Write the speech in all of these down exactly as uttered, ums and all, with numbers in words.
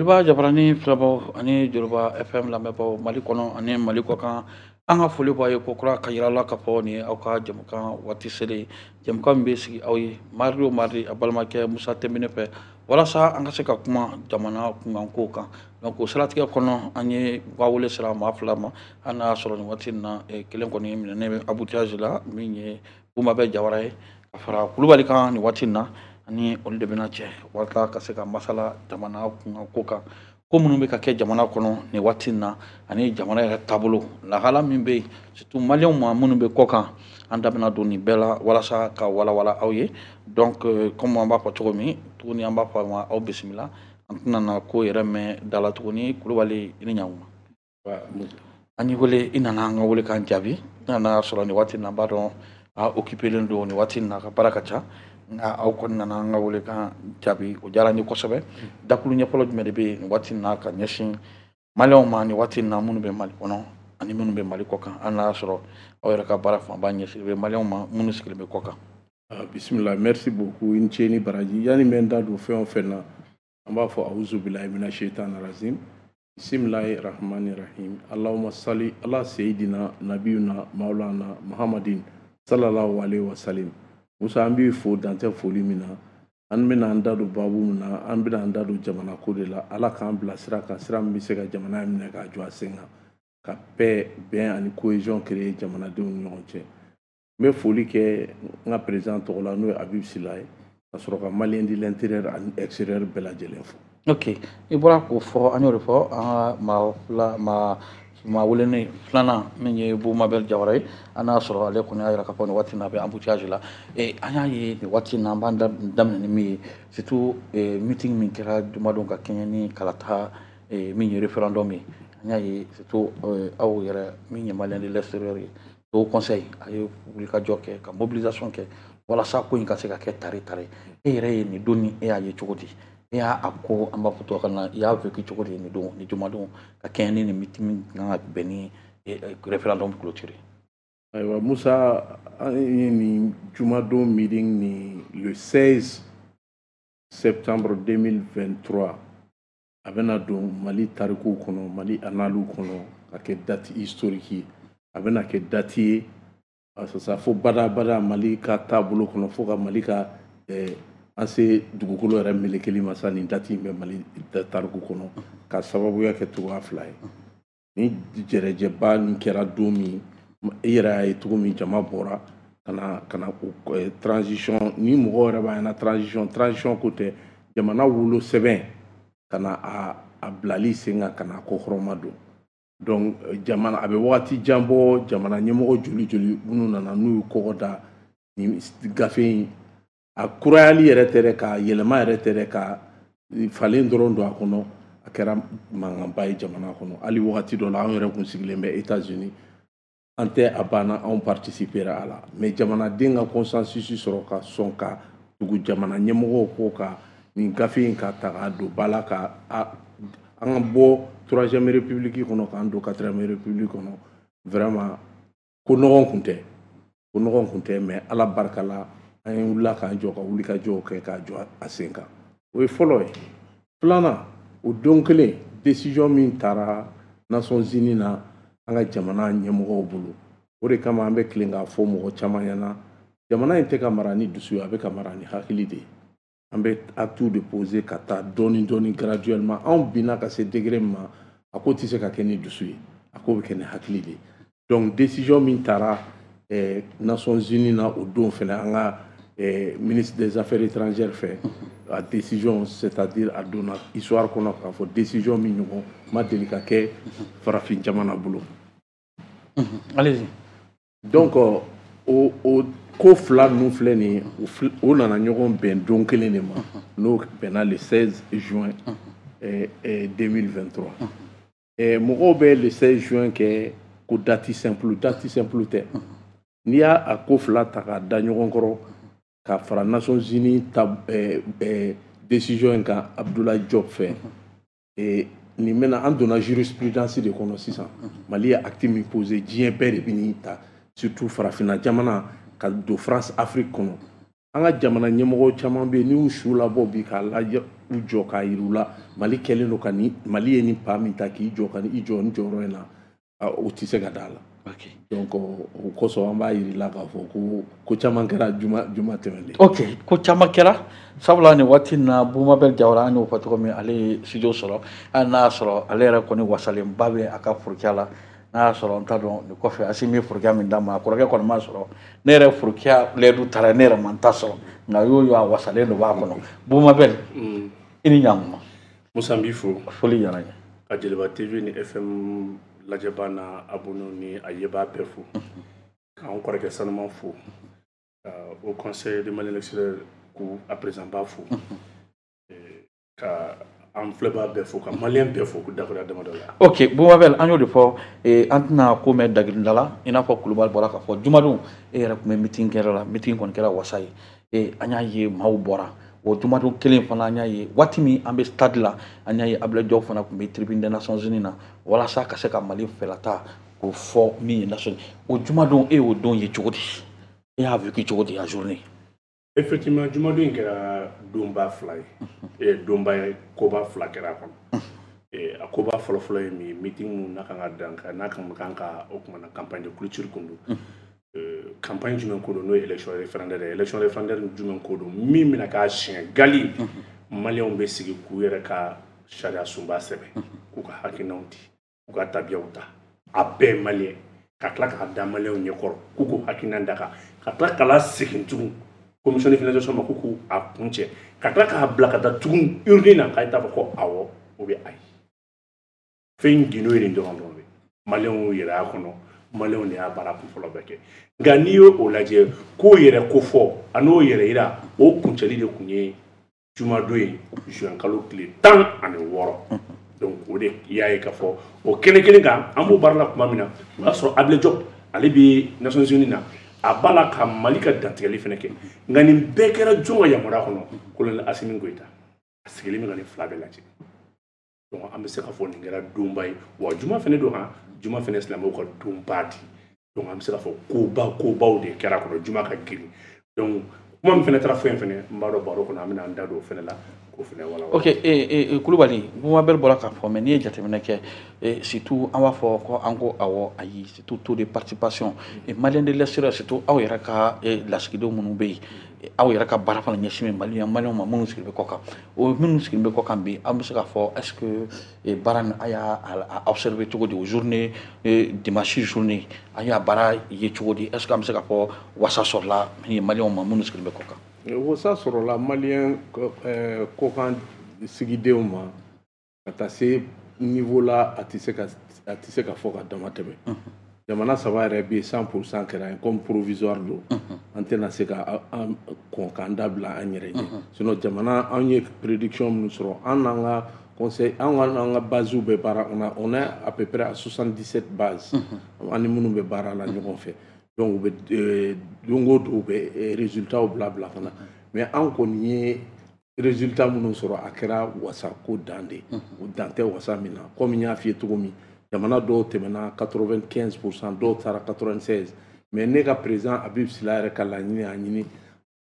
Joliba Jabarani filɛbaw ani Joliba F M lamɛnbaw, Mali kɔnɔ ani Mali kɔ kan, an ka foli b'a ye ko kura ka yira la k'a fɔ nin ye aw ka jamukan waati selen, jamukan min bɛ sigi aw ye mardi o mardi, a balimakɛ Musa Tɛnbine fɛ, walasa an ka se ka kuma jamana kunkankow kan. Donc o siratigɛ kɔnɔ, an ye ba wele sira maa fila ma. Hali n'a y'a sɔrɔ nin waati in na, kelen kɔni minɛnen bɛ embouteillage la, min ye Bumabɛ Jawara ye, ka fara Kulubali kan. Nin waati in na, ani olu de bɛna cɛ walasa ka se ka masala jamana kunkanko kan, ko minnu bɛ ka kɛ jamana kɔnɔ nin waati in na, ani jamana yɛrɛ taabolo lahala min bɛ yen, surtout maliyɛnw ma minnu bɛ kɔ kan. An da bɛna don nin bɛɛ la walasa ka walawala aw ye. Donc comme an b'a fɔ cogo min tuguni, an b'a fɔ aw ma, aw bisimila. An tɛna na ko yɛrɛ mɛn da la tuguni. Kulubali, i ni ɲankuma. An y'i wele, i nana an ka wele k'an jaabi. I nana sɔrɔ nin waati in na, an b'a dɔn a occupélen don nin waati in na, a ka baara ka ca, nka aw kɔni nana an ka wele kan jaabi, o diyara n ye kosɛbɛ. Dakulu ɲɛfɔlɔ jumɛn de bɛ yen nin waati in na ka ɲɛsin maliyɛnw ma nin waati in na, minnu bɛ Mali kɔnɔ ani minnu bɛ Mali kɔ kan, hali n'a y'a sɔrɔ aw yɛrɛ ka baara fanba ɲɛsinnen bɛ maliyɛnw ma minnu sigilen bɛ kɔ kan? Bisimila, merci beaucoup, i ni ce ni baraji. Yanni n bɛ n da don fɛn o fɛn na, an b'a fɔ awuzu bilahi mina shaitan rajim, bisimilahi rahmani rahim, allahumma sali ala seyidina nabiyuna maulana muhammadin sallallahu alaihi wasallam. Musa, an b'i fo dantɛ foli min na. An bɛna an da don baabu min na, an bɛna an da don jamana ko de la. Ala k'an bila sira kan, sira min bɛ se ka jamana in minɛ k'a jɔ a sen kan, ka paix, bɛn ani cohésion créer jamanadenw ni ɲɔgɔn cɛ. N bɛ foli kɛ n ka président tɔgɔ la, n'o ye Habib Sila ye, ka sɔrɔ ka malien de l'intérieur ani extérieur bɛɛ lajɛlen fo. Ok, i bɔra k'o fɔ, an y'o de fɔ. An ka maa fila, maa maa welenen filanan min ye Bumabel Jawara ye, an y'a sɔrɔ ale kɔni y'a jira k'a fɔ nin waati in na a bɛ embouteillage la. An y'a ye nin waati in na, an b'an daminɛ ni min ye, surtout meeting min kɛra jumadon ka kɛɲɛ ni kalata min ye référendum ye, an y'a ye surtout aw yɛrɛ min ye malien de l'extérieur ye, au conseil, a ye wulikajɔ kɛ ka mobilisation kɛ walasa ko in ka se ka kɛ tare tare. E yɛrɛ ye nin don ni e y'a ye cogo di? E y'a a ko, an b'a fɔ tubabukan na, i y'a vécu cogo di nin don ni jumadon ka kɛɲɛ ni nin meeting min kan ka bɛn ni référendum clôturé? Ayiwa Musa, an ye nin jumadon meeting ni le seize septembre deux mille vingt-trois, a bɛna don Mali tarikuw kɔnɔ, Mali annales kɔnɔ, ka kɛ date historique ye. A bɛna kɛ date ye sisan fo badabada Mali ka taabolo kɔnɔ, fo ka Mali ka eh, an se dugukolo yɛrɛ melekeli ma sa. Nin date in bɛ Mali tariku kɔnɔ ka sababuya kɛ cogoya fila ye. Ni jɛrɛjɛba nin kɛra don min, i yɛrɛ y'a ye cogo min jama bɔra ka na ka na transition ni mɔgɔw yɛrɛ b'a ɲɛna, transition transition ko tɛ, jamana wolo sɛbɛn ka na a a bilali sen kan, ka na kɔkɔrɔma don. Donc jamana a bɛ wagati jan bɔ, jamana ɲɛmɔgɔ joli joli minnu nana n'u ye kɔgɔ da nin gafe in, a kurayali yɛrɛ tɛ dɛ, ka yɛlɛma yɛrɛ tɛ dɛ, ka falen dɔrɔn don a kɔnɔ, a kɛra mankanba ye jamana kɔnɔ. Hali wagati dɔ la, anw yɛrɛ kun sigilen bɛ États-Unis, an tɛ a banna, anw participera a la, mais jamanaden ka consensus sɔrɔ ka sɔn ka tugu jamana ɲɛmɔgɔw kɔ ka nin gafe in ka ta k'a don ba la, ka an ka bɔ troisième république kɔnɔ k'an don quatrième république kɔnɔ, vraiment ko nɔgɔn kun tɛ, ko nɔgɔn kun tɛ. Mais Ala barika la, an ye wulila k'an jɔ ka wuli ka jɔw kɛ k'a jɔ a sen kan. O ye fɔlɔ ye. Filanan, o don kelen, décision min taara Nations Unies na an ka jamana ɲɛmɔgɔw bolo, o de kama an bɛ tilen k'a fɔ mɔgɔ caman ɲɛna, jamana in tɛ ka mara ni dusu ye, a bɛ ka mara ni hakili de ye. An bɛ acte de poser ka taa dɔɔni dɔɔni, graduellement. Anw binna ka se degré min ma, a ko tɛ se ka kɛ ni dusu ye, a ko bɛ kɛ ni hakili de ye. Donc décision min taara eh, Nations Unies na o don fɛnɛ, an ka eh, ministre des affaires étrangères fɛ, a décision, c'est-à-dire a donna histoire kɔnɔ k'a fɔ décision min ɲɔgɔn ma deli ka kɛ farafin jamana bolo. Allez-y. Donc o o ko fila ninnu filɛ nin ye, o nana ɲɔgɔn bɛn don kelen de ma, n'o bɛnna le seize juin eh, eh, deux mille vingt-trois. eh, mɔgɔw bɛ le seize juin kɛ ko date simple. Date simple tɛ. N'i y'a a ko fila ta k'a da ɲɔgɔn kɔrɔ, ka fara Nations Unies ta eh, eh, décision in kan Abdoulaye Diop fɛ, eh, nin bɛna an donna jurisprudence de kɔnɔ sisan. Mali ye acte min posé, diɲɛ bɛɛ de bɛ n'i ta, surtout farafinna jamana, ka don France Afrique kɔnɔ. An ka jamana ɲɛmɔgɔ caman bɛ yen, n'i y'u su labɔ bi k'a lajɛ, u jɔ k'a yir'u la Mali kɛlen don ka ni Mali ye nin pas min ta k'i jɔ ka i jɔ nin jɔyɔrɔ in na, o tɛ se ka d'a la. Donc o kosɔn an b'a yir'i la k'a fɔ ko ko caman kɛra juma juma tɛmɛnen. Ok, ko caman kɛra, sabula nin waati in na Bumabel Jawara, an y'o fɔ cogo min, ale ye studio sɔrɔ, hali n'a y'a sɔrɔ ale yɛrɛ kɔni wasalenba bɛ a ka forokɛya la. N'a y'a sɔrɔ n t'a dɔn nin kɔfɛ Asimi ye forokɛya min d'a ma, a kɔrɔkɛ kɔni m'a sɔrɔ, ne yɛrɛ forokɛya lɛdu taara, ne yɛrɛ ma n ta sɔrɔ, nka y'o y'o a wasalen dɔ b'a kɔnɔ. Bumabel, i ni ɲankuma. Musa, n b'i fo. Foli diyara n ye. Ka Joliba T V ni F M lajɛba n'a abonné ni a yebaa bɛɛ fo, k'an kɔrɔkɛ sanuman fo, au conseil de Mali l'extérieur k'u a président ba fo, ka an filɛbaa bɛɛ fo, ka maliyɛn bɛɛ fo, ko dakuruya damadɔ la. Ok Bumabel, an y'o de fɔ, an tɛna ko mɛn dagirinda la. I n'a fɔ Kulubali bɔra k'a fɔ, jumadon e yɛrɛ tun bɛ meeting kɛyɔrɔ la, meeting kɔni kɛra wasa ye, an y'a ye maaw bɔra. O jumadon kelen fana, an y'a ye waati min an bɛ stade la, an y'a ye Abdoulaye Diop fana tun bɛ tribune des Nations Unies na walasa ka se ka Mali fɛlata k'o fɔ min ye Nations. O jumadon, e y'o don ye cogo di? E y'a vécu cogo di a journée? Effectivement, jumadon in kɛra donba fila ye, donba ye, koba fila kɛra a kɔnɔ. A koba fɔlɔfɔlɔ ye min ye, meeting mun n'a kan ka dan n'a kan kan ka o kumana campagne de clôture kun don. Campagne jumɛn ko don? N'o ye élection référendaire ye. Élection référendaire jumɛn ko don? Min bɛna k'a siɲɛ gali maliyɛnw bɛ sigi k'u yɛrɛ ka sariya sunba sɛbɛn, k'u ka hakilinaw di, k'u ka tabiyaw ta, a bɛɛ ye maliyɛn, ka tila k'a da maliyɛnw ɲɛkɔrɔ k'u k'u hakilina da kan, ka tila k'a la segin tugun commission de finalisation ma k'u k'u a kun cɛ, ka tila k'a bila ka taa tugun urne na k'a t'a fɔ ko awɔ ou bien ayi. Fɛn gindo ye nin dɔrɔn dɔrɔn de. Maliyɛnw yɛrɛ y'a kɔnɔ, maliyɛnw de y'a baara kunfɔlɔ bɛɛ kɛ. Nka n'i y'o lajɛ, k'o yɛrɛ ko fɔ a n'o yɛrɛ yira, o kuncɛli de tun ye jumadon ye, juin kalo tile tan ani wɔɔrɔ. Donc o de i y'a ye k'a fɔ o kɛnɛ kelen kan, an b'o baara la tuma min na, o y'a sɔrɔ Abdoulaye Diop ale bɛ Nations Unies na, a b'a la ka Mali ka dantigɛli fana kɛ. Nka nin bɛɛ kɛra jɔn ka yamaruya kɔnɔ? Colonel Assimi Goïta a sigilen bɛ ka nin fila bɛɛ lajɛ. Donc an bɛ se k'a fɔ nin kɛra donba ye. Wa juma fana don, han, juma fana silamɛw ka donba di. Donc an bɛ se k'a fɔ koba kobaw de kɛra kɔnɔ, juma ka girin. Donc kuma min fana taara fɔ yen fana, n b'a dɔn baro kɔnɔ an bɛna an da don o fana la k'o fana walawala. Ok, eh, eh, Kulubali, Bumabel bɔra k'a fɔ, mais n'i ye jateminɛ kɛ, eh, surtout an b'a fɔ ko an ko awɔ ayi, surtout taux de participation et malien de l'extérieur, surtout aw yɛrɛ ka eh, lasigidenw minnu bɛ yen, aw yɛrɛ ka baara fana ɲɛsin bɛ Mali maliyɛnw ma minnu sigilen bɛ kɔ kan, o minnu sigilen bɛ kɔ kan bi, an bɛ se k'a fɔ est ce que eh, baara nin a y'a a observé cogo di? O journée, eh, dimanche journée, an y'a baara ye cogo di? Est ce que an bɛ se k'a fɔ wasa sɔrɔla min ye maliyɛnw ma minnu sigilen bɛ kɔ kan? Wasa sɔrɔla maliyɛn kɔkan sigidenw ma ka taa se niveau la, a tɛ se ka a tɛ se ka fɔ ka dama tɛmɛ. Jamana saba yɛrɛ bɛ yen, cent pour cent kɛra yen. Comme provisoire don, an tɛna se ka an kɔn k'an da bila an yɛrɛ ɲɛ. Sinon jamana, an ye prédiction minnu sɔrɔ, an n'an ka conseil, an ka an ka bases bɛ baara, on a on est à peu près à soixante-dix-sept bases an ni minnu bɛ baara la ɲɔgɔn fɛ. Donc u bɛ don o don u bɛ résultats bila bila ka na. Mais an kɔni ye résultat minnu sɔrɔ, a kɛra wasa ko dan de, o dan tɛ wasa min na. Comme n y'a f'i ye cogo min, jamana dɔw tɛmɛna quatre-vingt-quinze pour cent, dɔw taara quatre-vingt-seize. Mais ne ka président Habib Sila yɛrɛ ka laɲini y'a ɲini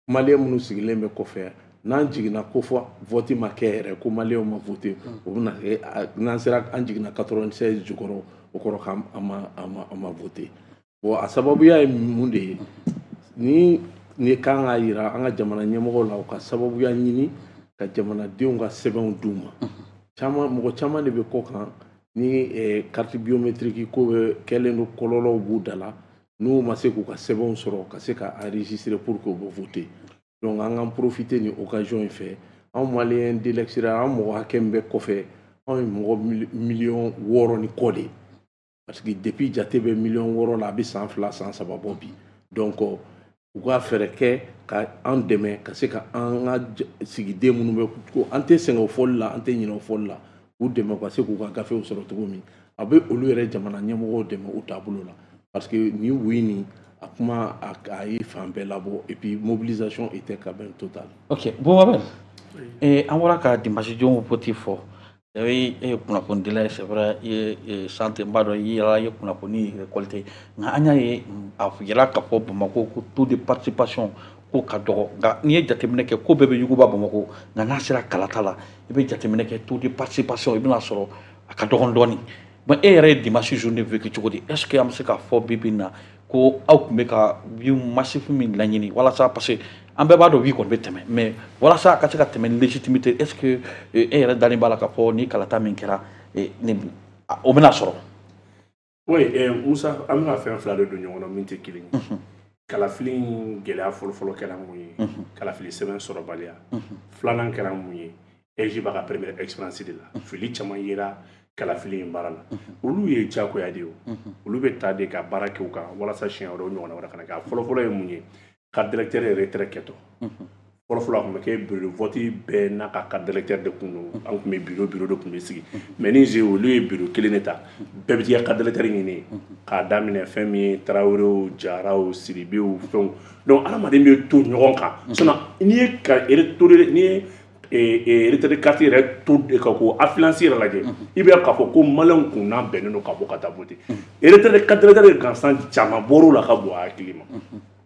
maliyɛn minnu sigilen bɛ kɔfɛ, n'an jiginna ko fɔ vote ma kɛ yɛrɛ, ko maliyɛnw ma vote, o bɛna kɛ n'an sera an jiginna quatre-vingt-seize jukɔrɔ, o kɔrɔ k'an ma a ma a ma vote. Bon, a sababuya ye mun de ye? Ni ni kan k'a yira an ka jamana ɲɛmɔgɔw la, u ka sababuya ɲini ka jamanadenw ka sɛbɛnw d'u ma. Caman, mɔgɔ caman de bɛ kɔ kan ni carte biométrique ko bɛ kɛlen don, kɔlɔlɔw b'u da la, n'u ma se k'u ka sɛbɛnw sɔrɔ ka se ka enregistrer pour que u bɛ voter. Donc an k'an profiter ni occasion in fɛ, anw maliyɛn de l'extérieur, an mɔgɔ hakɛ min bɛ kɔfɛ, anw ye mɔgɔ miliyɔn wɔɔrɔ ni kɔ de ye, parce que depuis jate bɛ miliyɔn wɔɔrɔ la, a bɛ san fila san saba bɔ bi. Donc u ka fɛɛrɛ kɛ ka an dɛmɛ ka se ka an ka sigiden minnu bɛ ko an tɛ sɛgɛn o fɔli la, an tɛ ɲinɛ o fɔli la, k'u dɛmɛ ka se k'u ka gafew sɔrɔ cogo min, a bɛ olu yɛrɛ jamana ɲɛmɔgɔw dɛmɛ u taabolo la. Parce que nin oui nin a kuma a ye fan bɛɛ labɔ, et puis mobilisation était quand même totale. Ok, Boubacar, eh, an bɔra ka dimanche don vote fɔ. E ye kunnafonidila ye, c'est vrai, i ye santé, n b'a dɔn i yɛrɛ ye kunnafoni récolté, nka an y'a ye a yira k'a fɔ Bamakɔ ko taux de participation ko ka dɔgɔ, nka n'i ye jateminɛ kɛ ko bɛɛ bɛ yuguba Bamakɔ, nka n'a sera kalata la i bɛ jateminɛ kɛ taux de participation i bɛna sɔrɔ a ka dɔgɔn dɔɔni. Bon, e yɛrɛ ye dimanche journée vécu cogo di? Est ce que an bɛ se k'a fɔ bi bi in na ko aw tun bɛ ka oui massif min laɲini walasa, parce que an bɛɛ b'a dɔn oui kɔni bɛ tɛmɛ, mais walasa a ka se ka tɛmɛ ni légitimité, est ce que e yɛrɛ dalen b'a la k'a fɔ ni kalata min kɛra o bɛna sɔrɔ? Oui, eh, Musa, an bɛ ka fɛn fila de don ɲɔgɔn na min tɛ kelen ye. Kalafili in gɛlɛya fɔlɔfɔlɔ kɛra mun ye? Kalafili sɛbɛn sɔrɔbaliya. Filanan kɛra mun ye? E J b'a ka première expérience de la, fili caman yera kalafili in baara la. Olu ye diyagoya de ye, o olu bɛ ta de ka baara kɛ u kan walasa siɲɛ wɛrɛ o ɲɔgɔnna wɛrɛ kana kɛ. A fɔlɔfɔlɔ ye mun ye? Carte d'électeur yɛrɛ retrait kɛtɔ, fɔlɔfɔlɔ a tun bɛ kɛ bureau de vote bɛɛ n'a ka carte d'électeur de kun don. An tun bɛ bureau bureau de tun bɛ sigi, mais ni ze olu ye bureau kelen de ta, bɛɛ bɛ t'i ka carte d'électeur ɲini k'a daminɛ fɛn min ye, Tarawelew, Jaraw, Sidibew, fɛnw. Donc adamaden bɛ to ɲɔgɔn kan. Sinon n'i ye ka n'i ye retrait de carte yɛrɛ to ka ko affluence yɛrɛ lajɛ, i bɛ k'a fɔ ko maliyɛnw kun n'a bɛnnen don ka bɔ ka taa voter. Retrait de carte d'électeur gansan caman bɔr'o la ka bon a hakili ma.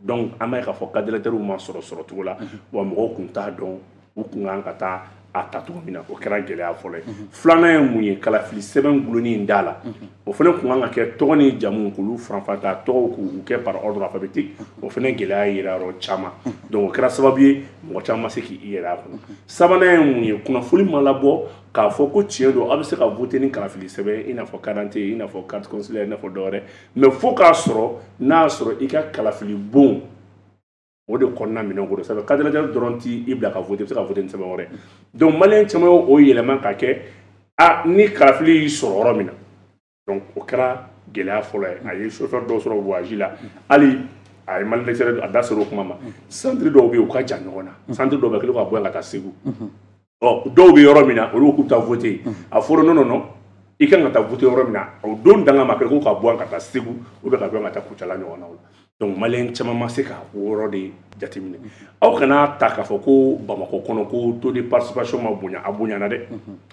Donc an b'a ye k'a fɔ carte d'électeur ma sɔrɔ sɔrɔ cogo la wa, mɔgɔw kun t'a dɔn u kun kan ka taa a ta cogo min na. O kɛra gɛlɛya fɔlɔ ye. Filanan ye mun ye? Kalafili sɛbɛn gulonni in da la, o fana kun kan ka kɛ tɔgɔ ni jamu k'olu faranfan ka tɔgɔw k'u kɛ par ordre alphabétique. O fana gɛlɛya yera yɔrɔ caman. Donc o kɛra sababu ye mɔgɔ caman ma se k'i yɛrɛ a kɔnɔ. Sabanan ye mun ye? Kunnafoni ma labɔ k'a fɔ ko tiɲɛ don, aw bɛ se ka voter ni kalafili sɛbɛn, i n'a fɔ carte d'identité, i n'a fɔ carte consulaire, i n'a fɔ dɔwɛrɛ, mais fo k'a sɔrɔ n'a y'a sɔrɔ i ka kalafili bon o de kɔnɔna minɛn ko don. Sabu carte d'électeur dɔrɔn t'i bila ka voter, i bɛ se ka voter ni sɛbɛn wɛrɛ. Donc maliyɛn caman y'o yɛlɛma ka kɛ a ni kalafili y'i sɔrɔ yɔrɔ min na. Donc o kɛra gɛlɛya fɔlɔ ye. A ye chauffeur dɔw sɔrɔ voyage la, hali a ye Mali l'extérieur a da sera o kuma ma. Centre dɔw bɛ yen, u ka jan ɲɔgɔn na, centre dɔw bɛ kelen ka bɔ yan ka taa Segu. Ɔ dɔw bɛ yɔrɔ min na, olu ko k'u bɛ taa voter. A fɔra non, non, non, i kan ka taa voter yɔrɔ min na, o don danga ma kɛ ko ka bɔ yan ka taa Segu ou bien ka bɔ yan ka taa Kucala ɲɔgɔnnaw la. Donc maliyɛn caman ma se ka o yɔrɔ de jateminɛ. Aw kana ta k'a fɔ ko Bamakɔ kɔnɔ ko taux de participation ma bonya. A bonyana dɛ,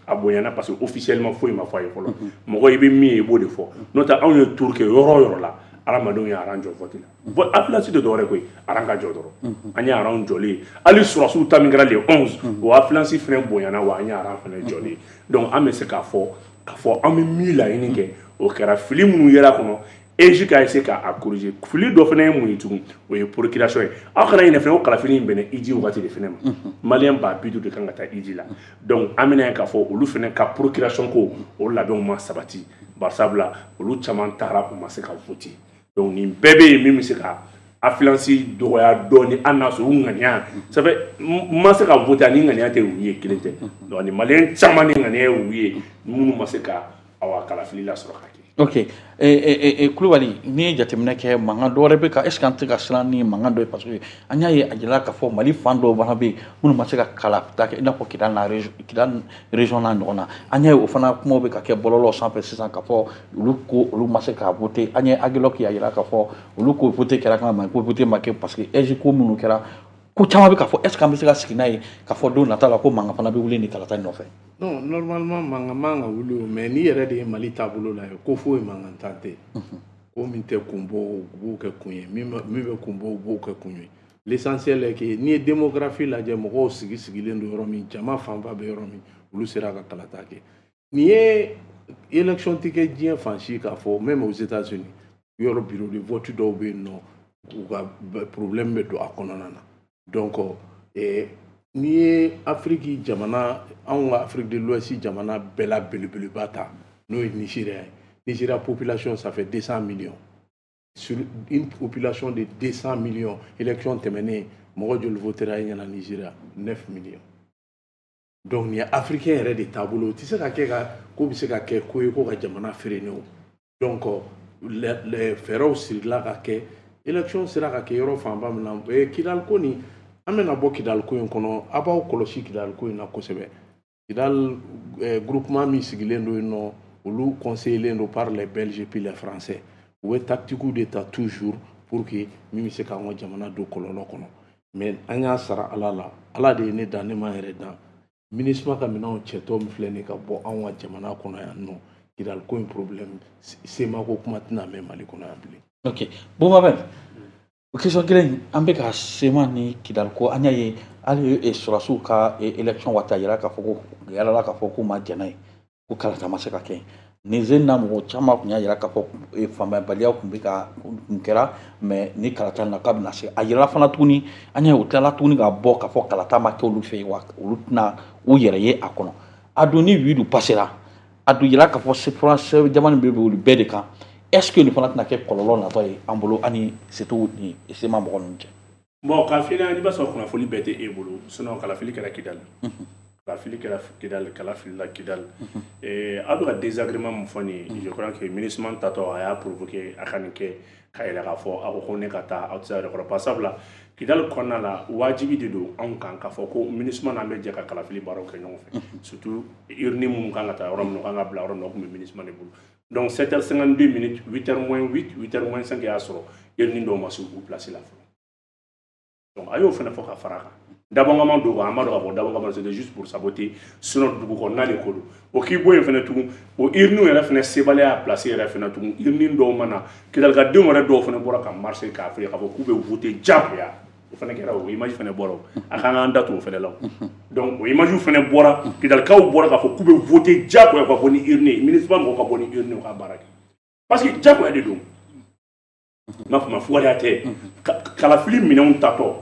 a bonyana, parce que officiellement foyi ma fɔ a ye fɔlɔ. Mɔgɔ i bɛ min ye, i b'o de fɔ. N'o tɛ anw ye tour kɛ yɔrɔ o yɔrɔ la, hadamadenw ye rang jɔ vote la. Bon, affluence tɛ dɔwɛrɛ koyi, rang ka jɔ dɔrɔn. An ye rang jɔlen, hali sɔrɔsiw ta min kɛra le onze, o affluence fɛnɛ bonyana wa, an ye rang fɛnɛ jɔlen. Donc an bɛ se k'a fɔ k'a fɔ an bɛ min laɲini kɛ, o kɛra. Fili minnu yera kɔnɔ, E J ka essayer k'a corriger. Fili dɔ fana ye mun ye tugun? O ye procuration ye. Aw kana ɲinɛ fɛnɛ ko kalafili in bɛnna hiji wagati de fɛnɛ ma. Maliyɛn ba bi duuru de kan ka taa hiji la. Donc an bɛna ye k'a fɔ olu fɛnɛ ka procuration ko o labɛnw ma sabati, barisabula olu caman taara, u ma se ka voter. Donc nin bɛɛ bɛ yen min bɛ se ka affluence dɔgɔya dɔɔni, hali n'a sɔrɔ u ŋaniya, ça fait n ma se ka voter ani ŋaniya tɛ u ye kelen tɛ. Donc ni maliyɛn caman ni ŋaniya ye u ye minnu ma se ka awa kalafili lasɔrɔ ka kɛ. Ok, eh, eh, Kulubali, n'i ye jateminɛ kɛ, mankan dɔ wɛrɛ bɛ ka, est ce que an tɛ ka siran ni mankan dɔ ye? Parce que an y'a ye a jirala k'a fɔ Mali fan dɔw fana bɛ yen minnu ma se ka kalata kɛ, i n'a fɔ Kidali n'a Kidali région n'a ɲɔgɔn na. An y'a ye o fana kumaw bɛ ka kɛ bɔlɔlɔ sanfɛ sisan k'a fɔ olu ko olu ma se ka voter. An ye Aguelhok y'a jira k'a fɔ olu ko voter kɛra kan ma ko voter ma kɛ, parce que E J ko minnu kɛra, ko caman bɛ k'a fɔ. Est ce que an bɛ se ka sigi n'a ye k'a fɔ don nata la ko mankan fana bɛ wuli nin kalata in nɔfɛ? Non, normalement mankan man ka wuli o, mais n'i yɛrɛ de ye Mali taabolo la ye, ko foyi mankan tan tɛ. Ko min tɛ kun bɔ, u b'o kɛ kun ye, min bɛ kun bɔ, u b'o kɛ kun ye. L'essentiel est que n'i ye démographie lajɛ, mɔgɔw sigi sigilen don yɔrɔ min, jama fanba bɛ yɔrɔ min, olu sera ka kalata kɛ. Nin ye élection tɛ kɛ diɲɛ fan si k'a fɔ, même aux États-Unis, yɔrɔ bureau de vote dɔw bɛ yen nɔ, u ka problème bɛ don a kɔnɔna na. Donc eh, n'i ye Afiriki jamana, anw ka Afrique de l'Ouest jamana bɛɛ la belebeleba ta, n'o ye Nigéria ye, Nigéria population, ça fait deux cents millions. Sur une population de deux cents millions, élection tɛmɛnen, mɔgɔ joli votera i ɲɛna Nigéria? neuf millions. Donc nin ye africain yɛrɛ de taabolo, o tɛ se ka kɛ ka ko bɛ se ka kɛ ko ye ko ka jamana freiner o. Donc fɛɛrɛw sirila ka kɛ, élection sera ka kɛ yɔrɔ fanba min na. Kidali ko nin, an bɛna bɔ Kidali ko in kɔnɔ. A b'aw kɔlɔsi Kidali ko in na kosɛbɛ. Kidali groupement min sigilen don yen nɔ, olu conseillé don par les Belges puis les Français. U bɛ tactique de ta toujours pour que min bɛ se k'an ka jamana don kɔlɔlɔ kɔnɔ. Mais an y'a sara Ala la, Ala de ye ne dan, ne ma yɛrɛ dan. MINUSMA ka minɛnw cɛtɔ min filɛ nin ka bɔ anw ka jamana kɔnɔ yan nɔ, Kidali ko in problème sema ko kuma tɛna mɛn Mali kɔnɔ yan bilen. Ok, Bouba. O question kelen, an bɛ ka C M A ni Kidali ko, an y'a ye hali sɔrɔdasiw ka élection waati, a yira k'a fɔ ko yalala k'a fɔ k'u ma jɛn n'a ye, ko kalata ma se ka kɛ. Nin sen na, mɔgɔ caman tun y'a jira k'a fɔ faamuyabaliya tun bɛ ka kun kɛra, mais ni kalata na k'a bɛna se. A yirala fana tuguni, an y'a ye u tilala tuguni ka bɔ k'a fɔ kalata ma kɛ olu fɛ yen, wa olu tɛna u yɛrɛ ye a kɔnɔ. A dun ni huit passera, a dun yira k'a fɔ jamana bɛ olu bɛɛ de kan. Est ce que nin fana tɛna kɛ kɔlɔlɔ natɔ ye an bolo, ani surtout ni C M A mɔgɔ ninnu cɛ? Bon, k'a f'i ɲɛna, i b'a sɔrɔ kunnafoni bɛɛ tɛ e bolo, sinon kalafili kɛra Kidali, kalafili kɛra Kidali, kalafilila Kidali. Aw bɛ ka désagrément min fɔ nin ye, je crois que MINUSMA tatɔ a y'a provoqué a ka nin kɛ k'a yɛrɛ k'a fɔ a ko ko ne ka taa, aw tɛ se a yɛrɛ kɔrɔ. Par sabula Kidali kɔnɔna la, wajibi de don anw kan k'a fɔ ko MINUSMA n'an bɛ jɛ ka kalafili baaraw kɛ ɲɔgɔn fɛ, surtout urne minnu kan ka taa yɔrɔ min na, u kan ka bila yɔrɔ min na, o tun bɛ MINUSMA de bolo. Donc sept heures cinquante-deux minutes, huit heures moins huit, huit heures moins cinq y'a sɔrɔ urne dɔw ma se u place la fɔlɔ. Donc a y'o fana fɔ ka fara a kan. Dabɔnkama don, an b'a dɔn k'a fɔ dabɔnkama, c'était juste pour saboter, sinon dugu kɔnɔna de ko don. O k'i bɔ yen fana tugun, o urne yɛrɛ fana sebaliya place yɛrɛ fana tugun, urne dɔw ma na. Kidalikadenw yɛrɛ dɔw fana bɔra ka marcher k'a fɔ k'a fɔ k'u bɛ voter diyagoya. O fana kɛra, o image fana bɔra, o a kan k'an da to o fana la. Donc o image fana bɔra, Kidalikaw bɔra k'a fɔ k'u bɛ voter diyagoya ka bɔ ni urne ye, MINUSMA mɔgɔw ka bɔ ni urne ye, u ka baara kɛ, parce que diyagoya de don. N b'a fɔ ma, fugariya tɛ. Kalafili minɛnw tatɔ,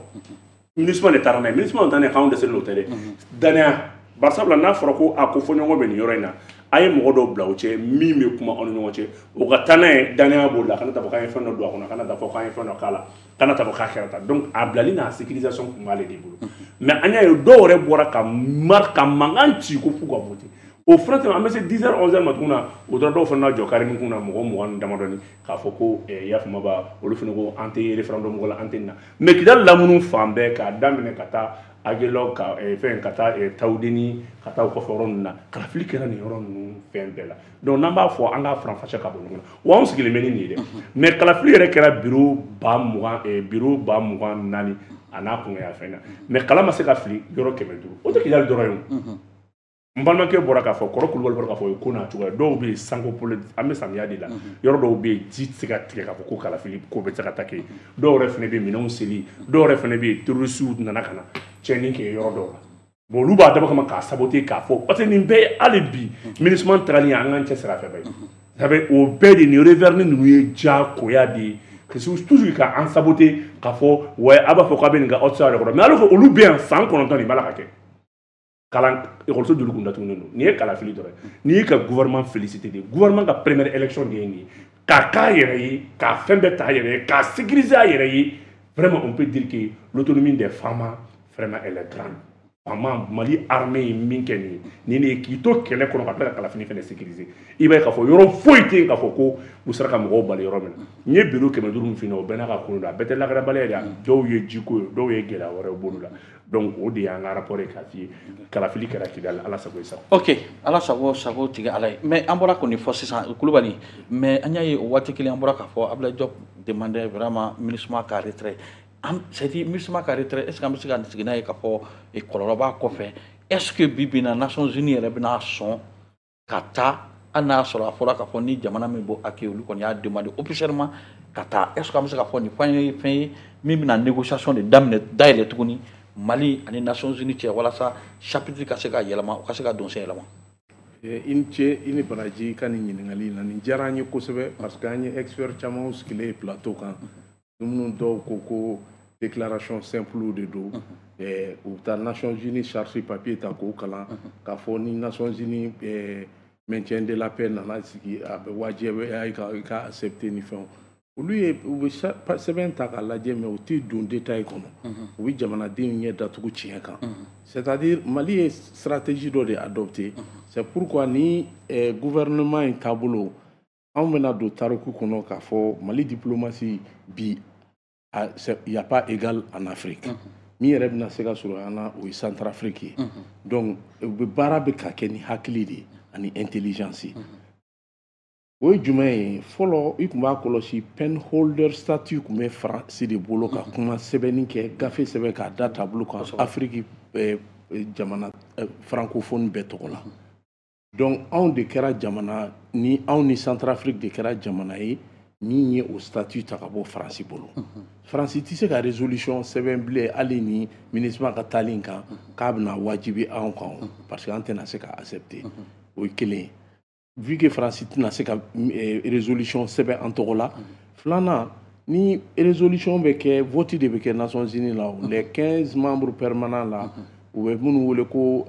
MINUSMA de taara n'a ye. MINUSMA ta n'a ye, k'anw dɛsɛlen don, o tɛ dɛ, danaya. Bari sabula n'a fɔra ko a ko fɔɲɔgɔn bɛ nin yɔrɔ in na, a ye mɔgɔ dɔw bila o cɛ min bɛ kuma aw ni ɲɔgɔn cɛ, o ka taa n'a ye, danaya b'o la. Kana taa fɔ k'an ye fɛn dɔ don a kɔnɔ, kana taa fɔ k'an ye fɛn dɔ k'a la, kana taa fɔ k'a kɛra tan. Donc a bilali n'a sécurisation tun b'ale de bolo. Mais an y'a ye dɔw yɛrɛ bɔra ka mar ka mankan ci ko f'u ka voter. O fana tɛmɛ, an bɛ se dix heures, onze heures ma tuguni na, o tora dɔw fana jɔ kari kun na, mɔgɔ mugan ni damadɔni, k'a fɔ ko i y'a faamu ba, olu fana ko an tɛ référendum ko la, an tɛ nin na. Mais Kidali lamunu fan bɛɛ, k'a daminɛ ka taa Aguelhok, ka fɛn, ka taa Tawudeni, ka taa o kɔfɛ yɔrɔ ninnu na, kalafili kɛra nin yɔrɔ ninnu fɛn bɛɛ la. Donc n'an b'a fɔ an k'a faranfasiya ka bɔ ɲɔgɔn na, wa anw sigilen bɛ ni nin ye dɛ. Mais kalafili yɛrɛ kɛra bureau ba mugan, bureau ba mugan naani a n'a kungoya fɛn na, mais kala ma se ka fili yɔrɔ kɛmɛ duuru. O tɛ Kidali dɔrɔn ye o. N balimakɛ bɔra k'a fɔ, kɔrɔ Kulubali bɔra k'a fɔ, o ye ko n'a cogoya. Dɔw bɛ yen, sanko polo, an bɛ samiya de la, yɔrɔ dɔw bɛ yen, ji tɛ se ka tigɛ k'a fɔ ko kalafili ko bɛ se ka taa kɛ. Dɔw yɛrɛ fana bɛ yen, minɛnw seli. Dɔw yɛrɛ fana bɛ yen, terroristew nana ka na tiɲɛni kɛ yɔrɔ dɔw la. Bon, olu b'a dabɔ kama k'a saboter, k'a fɔ parce que nin bɛɛ ye hali bi MINUSMA tagali, an k'an cɛsiri a fɛ ba ye. Ça fait o bɛɛ de nin revers ninnu ye diyagoya de ye, toujours ka an saboter, k'a fɔ ouais, a b'a fɔ k'a bɛ nin kɛ, aw tɛ se a yɛrɛ kɔrɔ. Mais alors que olu bɛ yan san kɔnɔntɔn, nin b'a la ka kɛ. Kalan ekɔliso joli kun datugulen don? Nin ye kalafili dɔrɔn ye. N'i y'i ka gouvernement félicité de, gouvernement ka première élection de ye nin ye, k'a k'a yɛrɛ ye, k'a fɛn bɛɛ ta a yɛrɛ ye, k'a sécuriser a yɛrɛ ye. Vraiment, on peut dire que l'autonomie des FAMa, vraiment, elle est grande. FAMa, Mali armée ye min kɛ nin ye, nin de ye k'i to kɛlɛ kɔnɔ ka tila ka kalafili fɛnɛ sécuriser. I b'a ye k'a fɔ yɔrɔ foyi tɛ yen k'a fɔ ko u sera ka mɔgɔw bali yɔrɔ min na. N ye bureau kɛmɛ duuru min f'i ɲɛna, o bɛɛ n'a ka ko don, a bɛɛ tɛ lakanabaliya ye dɛ. Dɔw ye jiko ye, dɔw ye gɛlɛya wɛrɛw bolo la. Donc o de y'an ka rapport ye k'a f'i ye, kalafili kɛra Kidali, Ala sago i sago. Ok, Ala sago sago tigɛ Ala ye. Mais an bɔra k'o nin fɔ sisan, Kulubali, mais an y'a ye o waati kelen, an bɔra k'a fɔ Abdoulaye Diop demandait vraiment MINUSMA ka retrait. An, c'est à dire MINUSMA ka retrait, est ce que an bɛ se ka sigi n'a ye k'a fɔ kɔlɔlɔ b'a kɔfɛ? Est ce que bi bi in na, Nations Unies yɛrɛ bɛna sɔn ka taa, hali n'a y'a sɔrɔ a fɔra k'a fɔ ni jamana min b'o accueillir, olu kɔni y'a demandé officiellement ka taa? Est ce que an bɛ se k'a fɔ nin fɛn ye fɛn ye min bɛna négociation de daminɛ, dayɛlɛ tuguni Mali ani Nations Unies cɛ, walasa chapitre ka se ka yɛlɛma, u ka se ka don sen yɛlɛma? I ni ce, i ni baraji ka nin ɲininkali in na. Nin diyara an ye kosɛbɛ, parce que an ye expert caman sigilen ye plateau kan, minnu dɔw ko ko déclaration simple de don, u bɛ taa Nations Unies charte papier ta k'o kalan, k'a fɔ ni Nations Unies maintien de la paix nana sigi, a bɛ wajibiya i ka i ka accepter ni fɛnw. Olu ye u bɛ sɛbɛn ta k'a lajɛ, mais u tɛ don détail kɔnɔ, u bɛ jamanadenw ɲɛ datugu tiɲɛ kan. C'est-à-dire Mali ye stratégie dɔ de adopté. C'est pourquoi ni gouvernement in taabolo, anw bɛna don tariku kɔnɔ k'a fɔ Mali diplomatie bi, il y a pas égal en Afrique. Min yɛrɛ bɛna se ka sɔrɔ an na, o ye Centrafrique ye. Donc u bɛ baara bɛ ka kɛ ni hakili de ye ani intelligence ye. O ye jumɛn ye? Fɔlɔ, i tun b'a kɔlɔsi, pen holder statut tun bɛ Faransi de bolo ka kuma sɛbɛnni kɛ, gafe sɛbɛn k'a da tableau kan Afiriki jamana francophone bɛɛ tɔgɔ la. Donc anw de kɛra jamana ni, anw ni Centrafrique de kɛra jamana ye. Min ye o statut ta ka bɔ Faransi bolo. Faransi tɛ se ka résolution sɛbɛn bilen hali ni MINUSMA ka taali in kan k'a bɛna wajibi anw kan, parce que an tɛna se ka accepter. O ye kelen ye. Vu que Faransi tɛna se ka résolution sɛbɛn an tɔgɔ la. Filanan, ni résolution bɛ kɛ, vote de bɛ kɛ Nations Unies la. Les quinze membres permanents la, u bɛ minnu wele ko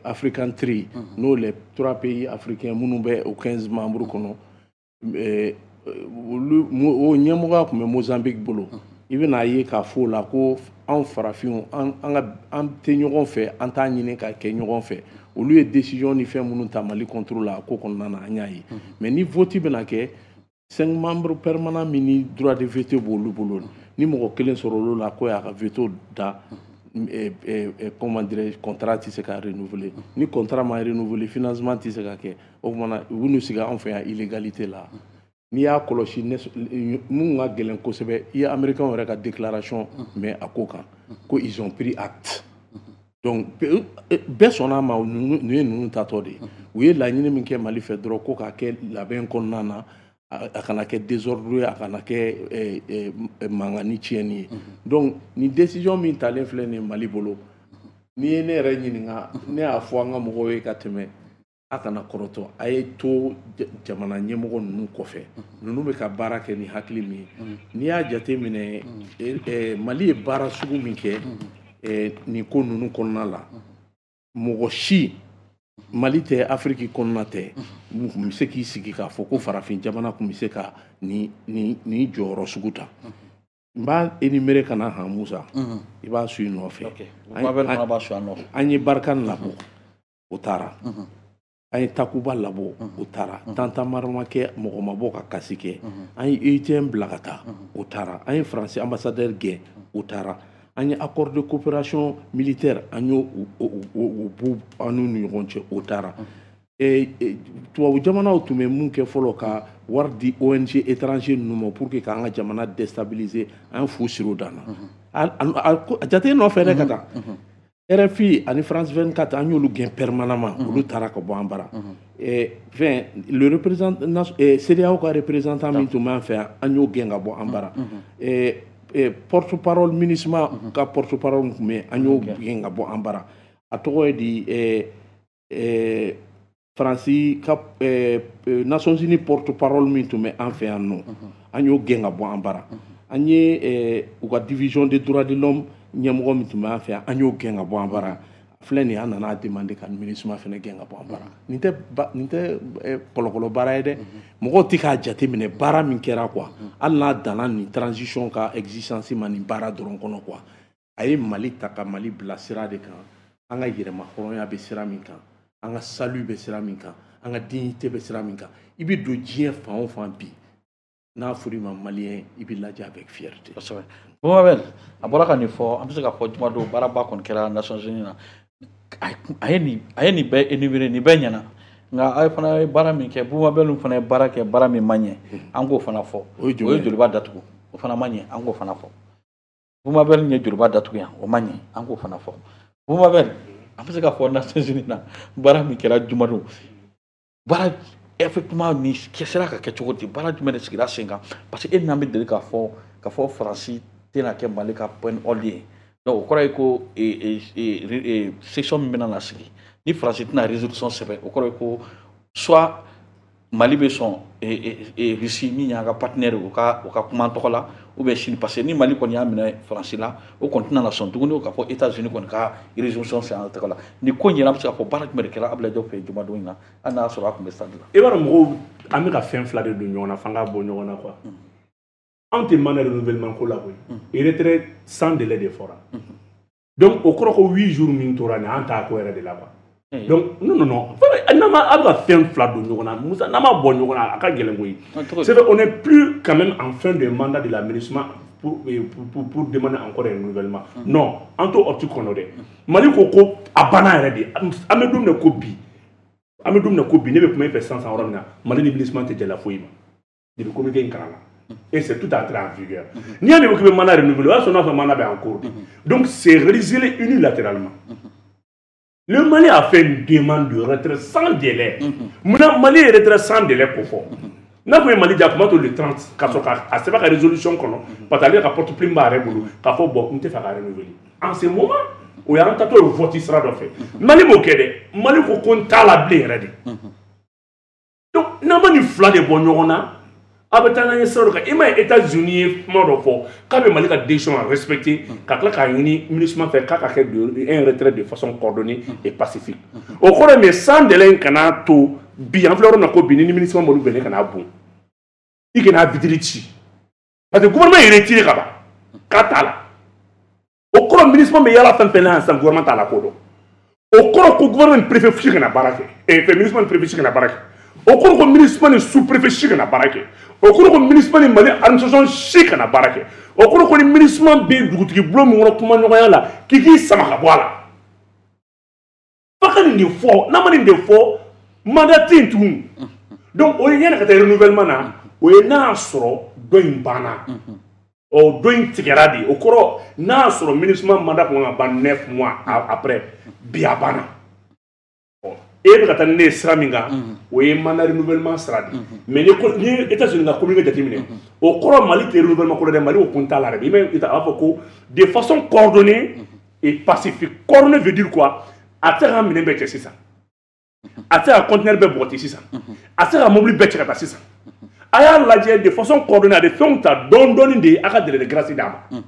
African Three, n'o les trois pays africains minnu bɛ o quinze membres kɔnɔ, olu o ɲɛmɔgɔya tun bɛ Mozambique bolo. I bɛna ye k'a fɔ o la ko anw farafinw, an ka an tɛ ɲɔgɔn fɛ, an t'a ɲini ka kɛ ɲɔgɔn fɛ. Olu ye décision ni fɛn minnu ta Mali contre la, a ko kɔnɔna na, an y'a ye. Mais ni vote bɛna kɛ, cinq membres permanents min ni droit de veto b'olu bolo, ni mɔgɔ kelen sɔrɔ olu la ko y'a ka veto da, comment dirais-je, contrat tɛ se ka renouveler. Ni contrat ma renouveler, financement tɛ se ka kɛ. O tuma na, u bɛn'u sigi anw fɛ yan illégalité la. N'i y'a kɔlɔsi, mun ka gɛlɛn kosɛbɛ, i ye Américains yɛrɛ ka déclaration mɛn a ko kan ko ils ont pris acte. Donc bɛɛ sɔnna a ma, ninnu ye ninnu tatɔ de ye. U ye laɲini min kɛ Mali fɛ dɔrɔn, ko k'a kɛ labɛn kɔnɔna na, a kana kɛ désordre ye, a kana kɛ mankan ni tiɲɛni ye. Donc nin décision min talen filɛ nin ye Mali bolo, n'i ye ne yɛrɛ ɲininka, ne y'a fɔ an ka mɔgɔw ye ka tɛmɛ, a kana kɔrɔtɔ, a ye to jamana ɲɛmɔgɔ ninnu kɔfɛ. Ninnu bɛ ka baara kɛ ni hakili min ye, n'i y'a jate minɛ, Mali ye baara sugu min kɛ nin ko ninnu kɔnɔna la, mɔgɔ si, Mali tɛ, Afiriki kɔnɔna tɛ, mun bɛ se k'i sigi k'a fɔ ko farafin jamana tun bɛ se ka nin nin nin jɔyɔrɔ sugu ta. N b'a énumérer ka na han, Musa, i b'a su i nɔfɛ. An ye Barkhane labɔ, o taara. An ye Takuba labɔ, o taara. Tantamara ma kɛ, mɔgɔ ma bɔ ka kasi kɛ. An ye U I T M bila ka taa, o taara. An ye Faransi ambassadeur gɛn, o taara. An ye accord de coopération militaire, an y'o o b'u an n'u ni ɲɔgɔn cɛ, o taara. Tubabu jamanaw tun bɛ mun kɛ fɔlɔ, ka wari di O N G étranger ninnu ma pour que k'an ka jamana déstabiliser, an fu siri o dan na. A jate nɔfɛ dɛ ka taa. R F I ani France vingt-quatre, an y'olu gɛn permanemment, olu taara ka bɔ an bara. Fɛn le représentant CEDEAO ka représentant min tun b'an fɛ yan, an y'o gɛn ka bɔ an bara. Porte parole MINUSMA ka porte parole tun bɛ yen, an y'o gɛn ka bɔ an bara. A tɔgɔ ye di, Faransi ka Nations Unies porte parole min tun bɛ an fɛ yan nɔ, an y'o gɛn ka bɔ an bara. An ye u ka division des droits de l'homme ɲɛmɔgɔ min tun bɛ an fɛ yan, an y'o gɛn ka bɔ an bara. Filɛ nin ye, an nana demander ka MINUSMA fana gɛn ka bɔ an bara. Nin tɛ nin tɛ kɔlɔkɔlɔ baara ye dɛ. Mɔgɔw tɛ k'a jateminɛ baara min kɛra quoi, hali n'a danna nin transition ka existence ma nin baara dɔrɔn kɔnɔ quoi. A ye Mali ta ka Mali bila sira de kan, an ka yɛrɛma hɔrɔnya bɛ sira min kan, an ka salut bɛ sira min kan, an ka dignité bɛ sira min kan. I bɛ don diɲɛ fan o fan bi, n'a fɔra i ma malien, i bɛ lajɛ avec fierté. Kosɛbɛ. Bumabel, a bɔra ka nin fɔ, an bɛ se k'a fɔ jumadon baaraba kɔni kɛra Nations Unies na. A ye nin a ye nin bɛɛ énumérer, nin bɛɛ ɲɛna, nka a ye fana ye baara min kɛ, Bumabel fana ye baara kɛ, baara min ma ɲɛ, an k'o fana fɔ. O ye O ye Joliba datugu, o fana ma ɲɛ, an k'o fana fɔ. Bumabel ye Joliba datugu yan, o ma ɲɛ, an k'o fana fɔ. Bumabel, an bɛ se k'a fɔ Nations Unies na, baara min kɛra jumadon, baara effectivement nin sera ka kɛ cogo di? Baara jumɛn de sigira sen kan? Parce que e n'an bɛ deli k'a fɔ k'a fɔ Faransi tɛna kɛ Mali ka point hold ye. Donc o kɔrɔ ye ko session min bɛna na sigi ni Faransi tɛna résolution sɛbɛn, o kɔrɔ ye ko soit Mali bɛ sɔn Russie min y'an ka partenaire, o ka o ka kuma an tɔgɔ la, ou bien Chine, parce que ni Mali kɔni y'a minɛ Faransi la, o kɔni tɛna na sɔn tuguni k'a fɔ États-Unis kɔni ka résolution sɛbɛn an tɔgɔ la. Nin ko in yɛrɛ, an bɛ se k'a fɔ baara jumɛn de kɛra Abdoulaye Diop fɛ jumadon in na, hali n'a y'a sɔrɔ a tun bɛ stade la? I b'a dɔn, mɔgɔw, an bɛ ka fɛn fila de don ɲɔgɔn na f'an k'a bɔ ɲɔgɔn na quoi. Anw tɛ mandat renouvellement ko la koyi. Retrait sans délai de fɔra. Donc o kɔrɔ ko huit jours min tora nin, an t'a ko yɛrɛ de la quoi. Donc non, non, non, n'an ma, a bɛ ka fɛn fila don ɲɔgɔn na, Musa, n'an ma bɔ ɲɔgɔn na, a ka gɛlɛn koyi. C'est vrai, on n'est plus quand même en fin de mandat de la MINUSMA pour, pour, pour, pour demander encore un renouvellement. Non, an t'o optique kɔnɔ dɛ. Mali ko ko a banna yɛrɛ de. An bɛ don min na ko bi, an bɛ don min na ko bi, ne bɛ kuma e fɛ sisan sisan yɔrɔ min na, Mali ni MINUSMA tɛ jɛla foyi ma. Depuis communiqué in kalan na. Et c'est tout entré en vigueur. N'i y'a mɛn k'i bɛ mandat renouveler, o y'a sɔrɔ n'a sɔrɔ mandat bɛ en cours. Donc c'est résilié unilatéralement. Le Mali a fait une demande de retrait sans délai. Munna Mali ye retrait sans délai ko fɔ? N'a kun ye Mali ja kuma to le trente ka sɔrɔ k'a sɛbɛn ka résolution kɔnɔ, parce que ale ka porte plume b'a yɛrɛ bolo k'a fɔ bon, n tɛ fɛ ka renouveler en ce moment. O y'an tatɔ ye vote sira dɔ fɛ. Mali m'o kɛ dɛ. Mali ko ko n t'a la bilen yɛrɛ de. Donc n'an ma nin fila de bɔ ɲɔgɔn na, a bɛ taa n'an ye sira dɔ kan. I m'a ye, États-Unis ye kuma dɔ fɔ k'a bɛ Mali ka décision respecter, ka tila k'a ɲini MINUSMA fɛ k'a ka kɛ un retrait de façon coordonnée et pacifique. O kɔrɔ ye min ye, sans délai in kana to bi, an filɛ yɔrɔ min na ko bi, ni MINUSMA m'olu bɛnnen ka n'a bon, i kana vitre ci, parce que gouvernement ye retiré ka ban k'a t'a la. O kɔrɔ, MINUSMA bɛ yala fɛn fɛn na yan sisan, gouvernement t'a la ko dɔn. O kɔrɔ ko gouvernement ni préfet si kana baara kɛ, eh, fɛn MINUSMA ni préfet si kana baara kɛ. O kɔrɔ ko MINUSMA ni sous préfet si kana baara kɛ. O kɔrɔ ko MINUSMA ni Mali administration si kana baara kɛ. O kɔrɔ ko ni MINUSMA bɛ dugutigi bulon min kɔnɔ kumaɲɔgɔnya la, k'i k'i sama ka bɔ a la. F'a ka nin de fɔ. N'a ma nin de fɔ, mandat tɛ yen tugun. Donc o ye yanni ka taa renouvellement na, o ye n'a y'a sɔrɔ dɔ in banna, ɔ dɔ in tigɛra de. O kɔrɔ, n'a y'a sɔrɔ MINUSMA mandat kun kan ka ban neuf mois après, bi a banna. Ɔ e bɛ ka taa ni ne ye sira min kan, o ye mandat renouvellement sira de. Mais ni ko ni États-Unis ka communiqué jateminɛ, o kɔrɔ Mali tɛ renouvellement ko la dɛ. Mali ko kun t'a la dɛ. I bɛ a b'a fɔ ko de façon coordonnée et pacifique. Coordonnée veut dire quoi? A tɛ se ka minɛn bɛɛ cɛ sisan, a tɛ se ka conteneur bɛɛ bɔgɔti sisan, a tɛ se ka mobili bɛɛ cɛ ka taa sisan. A y'a lajɛ de façon coordonnée, a bɛ fɛnw ta dɔɔni dɔɔni de ye, a ka délai de grâce d'a ma.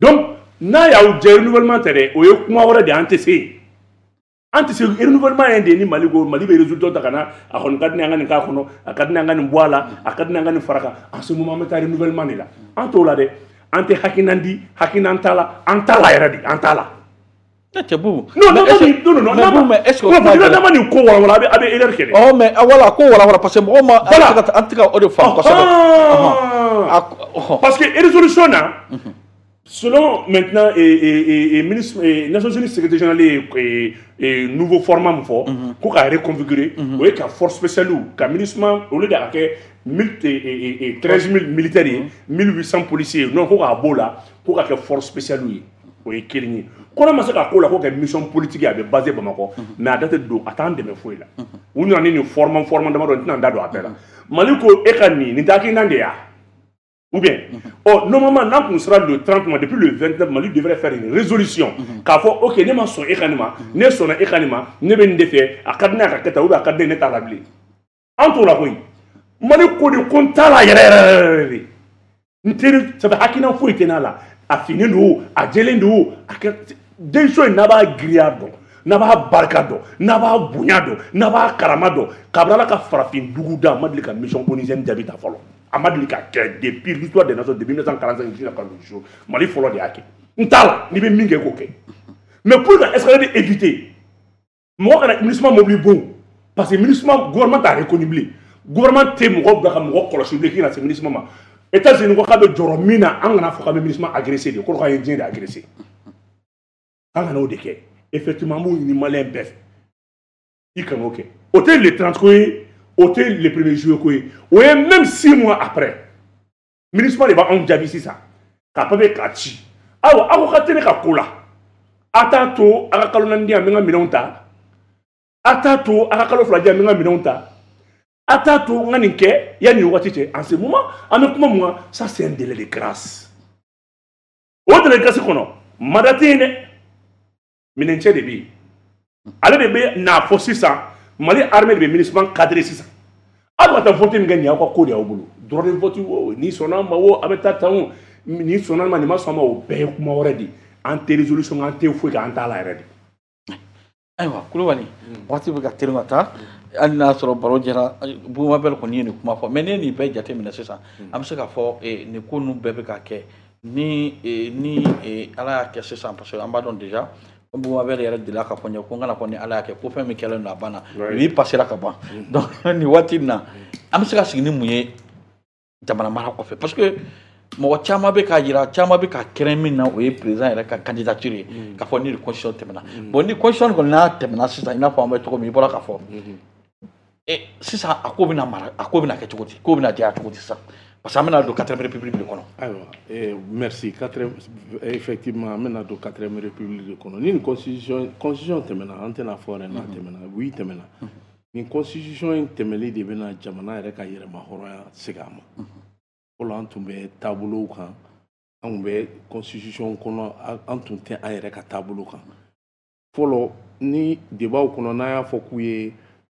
Donc n'a y'aw jɛ, renouvellement tɛ dɛ, o ye kuma wɛrɛ de ye. An tɛ se yen, an tɛ se renouvellement ye de ye. Ni Mali ko Mali bɛ résultat ta ka na, a kɔni ka di ne ye an ka nin k'a kɔnɔ, a ka di ne ye an ka nin bɔ a la, a ka di ne ye an ka nin fara kan, en ce moment an bɛ taa renouvellement de la. An t'o la dɛ. An tɛ hakilina di, hakilina t'a la, an t'a la yɛrɛ de, an t'a la. Cɛ Bubu. Non, non, non, non, non, mais est-ce que n'a ma nin ko walawala, a bɛ a bɛ erreur kɛ dɛ. Ɔ mais voilà, ko walawala, parce que mɔgɔw ma Voilà. an tɛ ka o de faamu kosɛbɛ. Parce que résolution na, selon maintenant et, et, et, et ministre et Nations Unies secrétaire général ye et, et nouveau format min fɔ ko k'a reconfigurer, o ye ka force spéciale ka MINUSMA, au lieu de ka kɛ mille et, et, treize mille militaires ye, mille huit cents policiers, non, ko k'a b'o la, ko ka kɛ force spéciale ye. O ye kelen ye. Ko n'a ma se ka k'o la, ko kɛ mission politique ye, a bɛ basé Bamakɔ, mais a da tɛ don, a t'an dɛmɛ foyi la. U nana ni nin format format damadɔ, n tɛna n da don a bɛɛ la. Mali ko e ka nin nin tɛ hakilina de ye wa? Ou bien, oh, normalement, n'a kun sera le trente mois, depuis le vingt-neuf, Mali devrait faire une résolution. K'a fɔ, ok, ne ma sɔn e ka nin ma, ne sɔnna e ka nin ma, ne bɛ nin de fɛ, a ka di ne ye a ka kɛ tan, ou bien a ka di ne ye, ne t'a la bilen. An t'o la koyi. Mali ko de ko n t'a la yɛrɛ yɛrɛ yɛrɛ de. N teri, ça fait hakilina foyi tɛ n'a la. A finnen don, a jɛlen don, a kɛ décision in n'a b'a giriya dɔn, n'a b'a barika dɔn, n'a b'a bonya dɔn, n'a b'a karama dɔn. Kabini Ala ka farafin dugu da, a ma deli ka mission onusienne jaabi ta fɔlɔ. A ma deli ka kɛ depuis l'histoire des nations, depuis mille neuf cent quarante-cinq jusqu'à jour. Mali fɔlɔ de y'a kɛ. N t'a la, n'i bɛ min kɛ, k'o kɛ. Mais pour ka escalade éviter, mɔgɔ kana MINUSMA mobili bon, parce que MINUSMA, gouvernement t'a reconnu bilen. Gouvernement tɛ mɔgɔ bila ka mɔgɔ kɔlɔsi bilen k'i kana se MINUSMA ma. États-Unis ko k'a bɛ jɔrɔ min na, an kana fɔ k'an bɛ MINUSMA agressé de, kɔrɔ k'an ye diɲɛ de agressé. An kana o de kɛ. Effectivement, an b'o ɲini malien bɛɛ fɛ, i kan'o kɛ. O tɛ le trente ko ye, o tɛ le premier juillet ko ye, o ye même six mois après. MINUSMA de b'anw jaabi sisan k'a papier k'a ci. Ayiwa, aw ko k'a tɛ ne ka ko la, a t'a to a ka kalo naani di yan, n bɛ n ka minɛnw ta. A t'a to a ka kalo fila di yan, n bɛ n ka minɛnw ta. A t'a to n ka nin kɛ yanni nin waati cɛ. En ce moment, an bɛ kuma mun kan? Ça, c'est un délai de grâce. O délai de grâce kɔnɔ, mandat tɛ yen dɛ, minɛncɛ de bɛ yen. Ale de bɛ n'a fɔ sisan, Mali armée de bɛ MINUSMA cadré sisan. Aw bɛ ka taa vote min kɛ nin y'aw ka ko de y'aw bolo, droit de vote o, ni sɔnna ma o, a bɛ taa tan o, ni sɔnna ma, nin ma sɔn ma, o bɛɛ ye kuma wɛrɛ de ye. An tɛ résolution, an tɛ foyi kɛ, an t'a la yɛrɛ de. Ayiwa Kulubali, waati bɛ ka teli ka taa, hali n'a sɔrɔ baro jɛra. Boubou Mabel kɔni ye nin kuma fɔ, mais ne ye nin bɛɛ jateminɛ sisan, an bɛ se k'a fɔ eh, nin ko ninnu bɛɛ bɛ ka kɛ ni eh, ni eh, Ala y'a kɛ sisan, parce que an b'a dɔn déjà ko Boubou Mabel yɛrɛ delila k'a fɔ n ye ko n kana fɔ ni Ala y'a kɛ, ko fɛn min kɛlen don a banna, Oui. bi passera ka ban. Donc nin waati in na, an bɛ se ka sigi ni mun ye jamana mara kɔfɛ? Parce que mɔgɔ caman bɛ k'a jira, caman bɛ ka kɛrɛn min na, o ye président yɛrɛ ka candidature ye, k'a fɔ ni nin constitution tɛmɛna. Bon, ni constitution kɔni n'a tɛmɛna sisan, i n'a fɔ an bɛ cogo min, i bɔra k'a fɔ e sisan, a ko bɛna mara, a ko bɛna kɛ cogo di, ko bɛna diya cogo di sisan? Parce que an bɛna don quatrième république de kɔnɔ. Ayiwa, eh, merci. Quatrième, effectivement, an bɛna don quatrième république de kɔnɔ ni nin constitution constitution tɛmɛna. An tɛna fɔ yɛrɛ n'a tɛmɛna, oui, tɛmɛna. Nin constitution in tɛmɛli de bɛna jamana yɛrɛ ka yɛrɛmahɔrɔnya segin a ma. Fɔlɔ an tun bɛ taabolow kan, an tun bɛ constitution kɔnɔ, an tun tɛ an yɛrɛ ka taabolo kan. Fɔlɔ ni débat kɔnɔ, n'an y'a fɔ k'u ye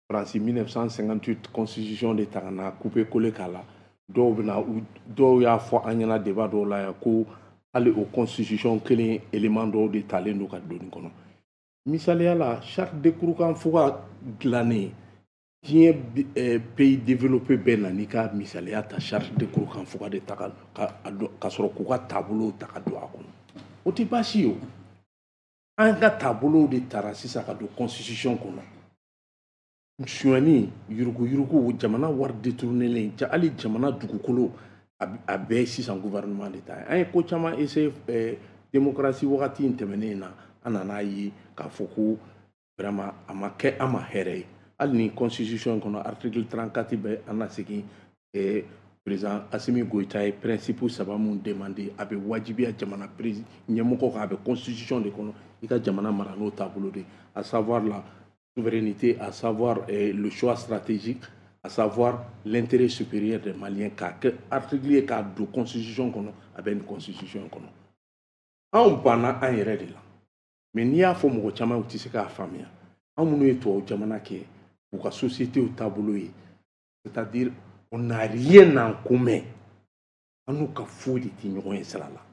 Faransi mille neuf cent cinquante-huit constitution de ta ka na couper coller k'a la, dɔw bɛna, dɔw y'a fɔ an ɲɛna débat dɔw la yan ko hali o constitution kelen élément dɔw de talen don ka don nin kɔnɔ. Misaliya la, charte de Kurukanfuga dilannen, diɲɛ pays développé bɛɛ na n'i ka misaliya ta charte de Kurukanfuga de ta ka ka sɔrɔ k'u ka taabolow ta ka don a kɔnɔ. O tɛ baasi ye o. An ka taabolow de tara sisan ka don constitution kɔnɔ. Sonyani, yuruguyurugu, jamana wari détournélen, hali jamana dugukolo, a bɛɛ sisan gouvernement de ta ye. An ye ko caman essayer démocratie wagati in tɛmɛnen na, an nana ye k'a fɔ ko vraiment a ma kɛ an ma hɛrɛ ye. Hali ni constitution kɔnɔ, article trente-quatre bɛ an na segin, président Assimi Goïta ye principe saba mun demandé, a bɛ wajibiya jamana ɲɛmɔgɔ kan, a bɛ constitution de kɔnɔ, i ka jamana mara n'o taabolo de, à savoir la souveraineté, à savoir eh, le choix stratégique, à savoir l'intérêt supérieur des Maliens, k'a kɛ article ye k'a don constitution kɔnɔ. A bɛ nin constitution kɔnɔ. Anw banna an yɛrɛ de la, mais n'i y'a fɔ mɔgɔ caman, u tɛ se k'a faamuya. Anw minnu ye tubabu jamana kɛ, u ka société taabolo ye, c'est-à-dire on n'a rien en commun, an n'u ka foyi de tɛ ɲɔgɔn ye sira la.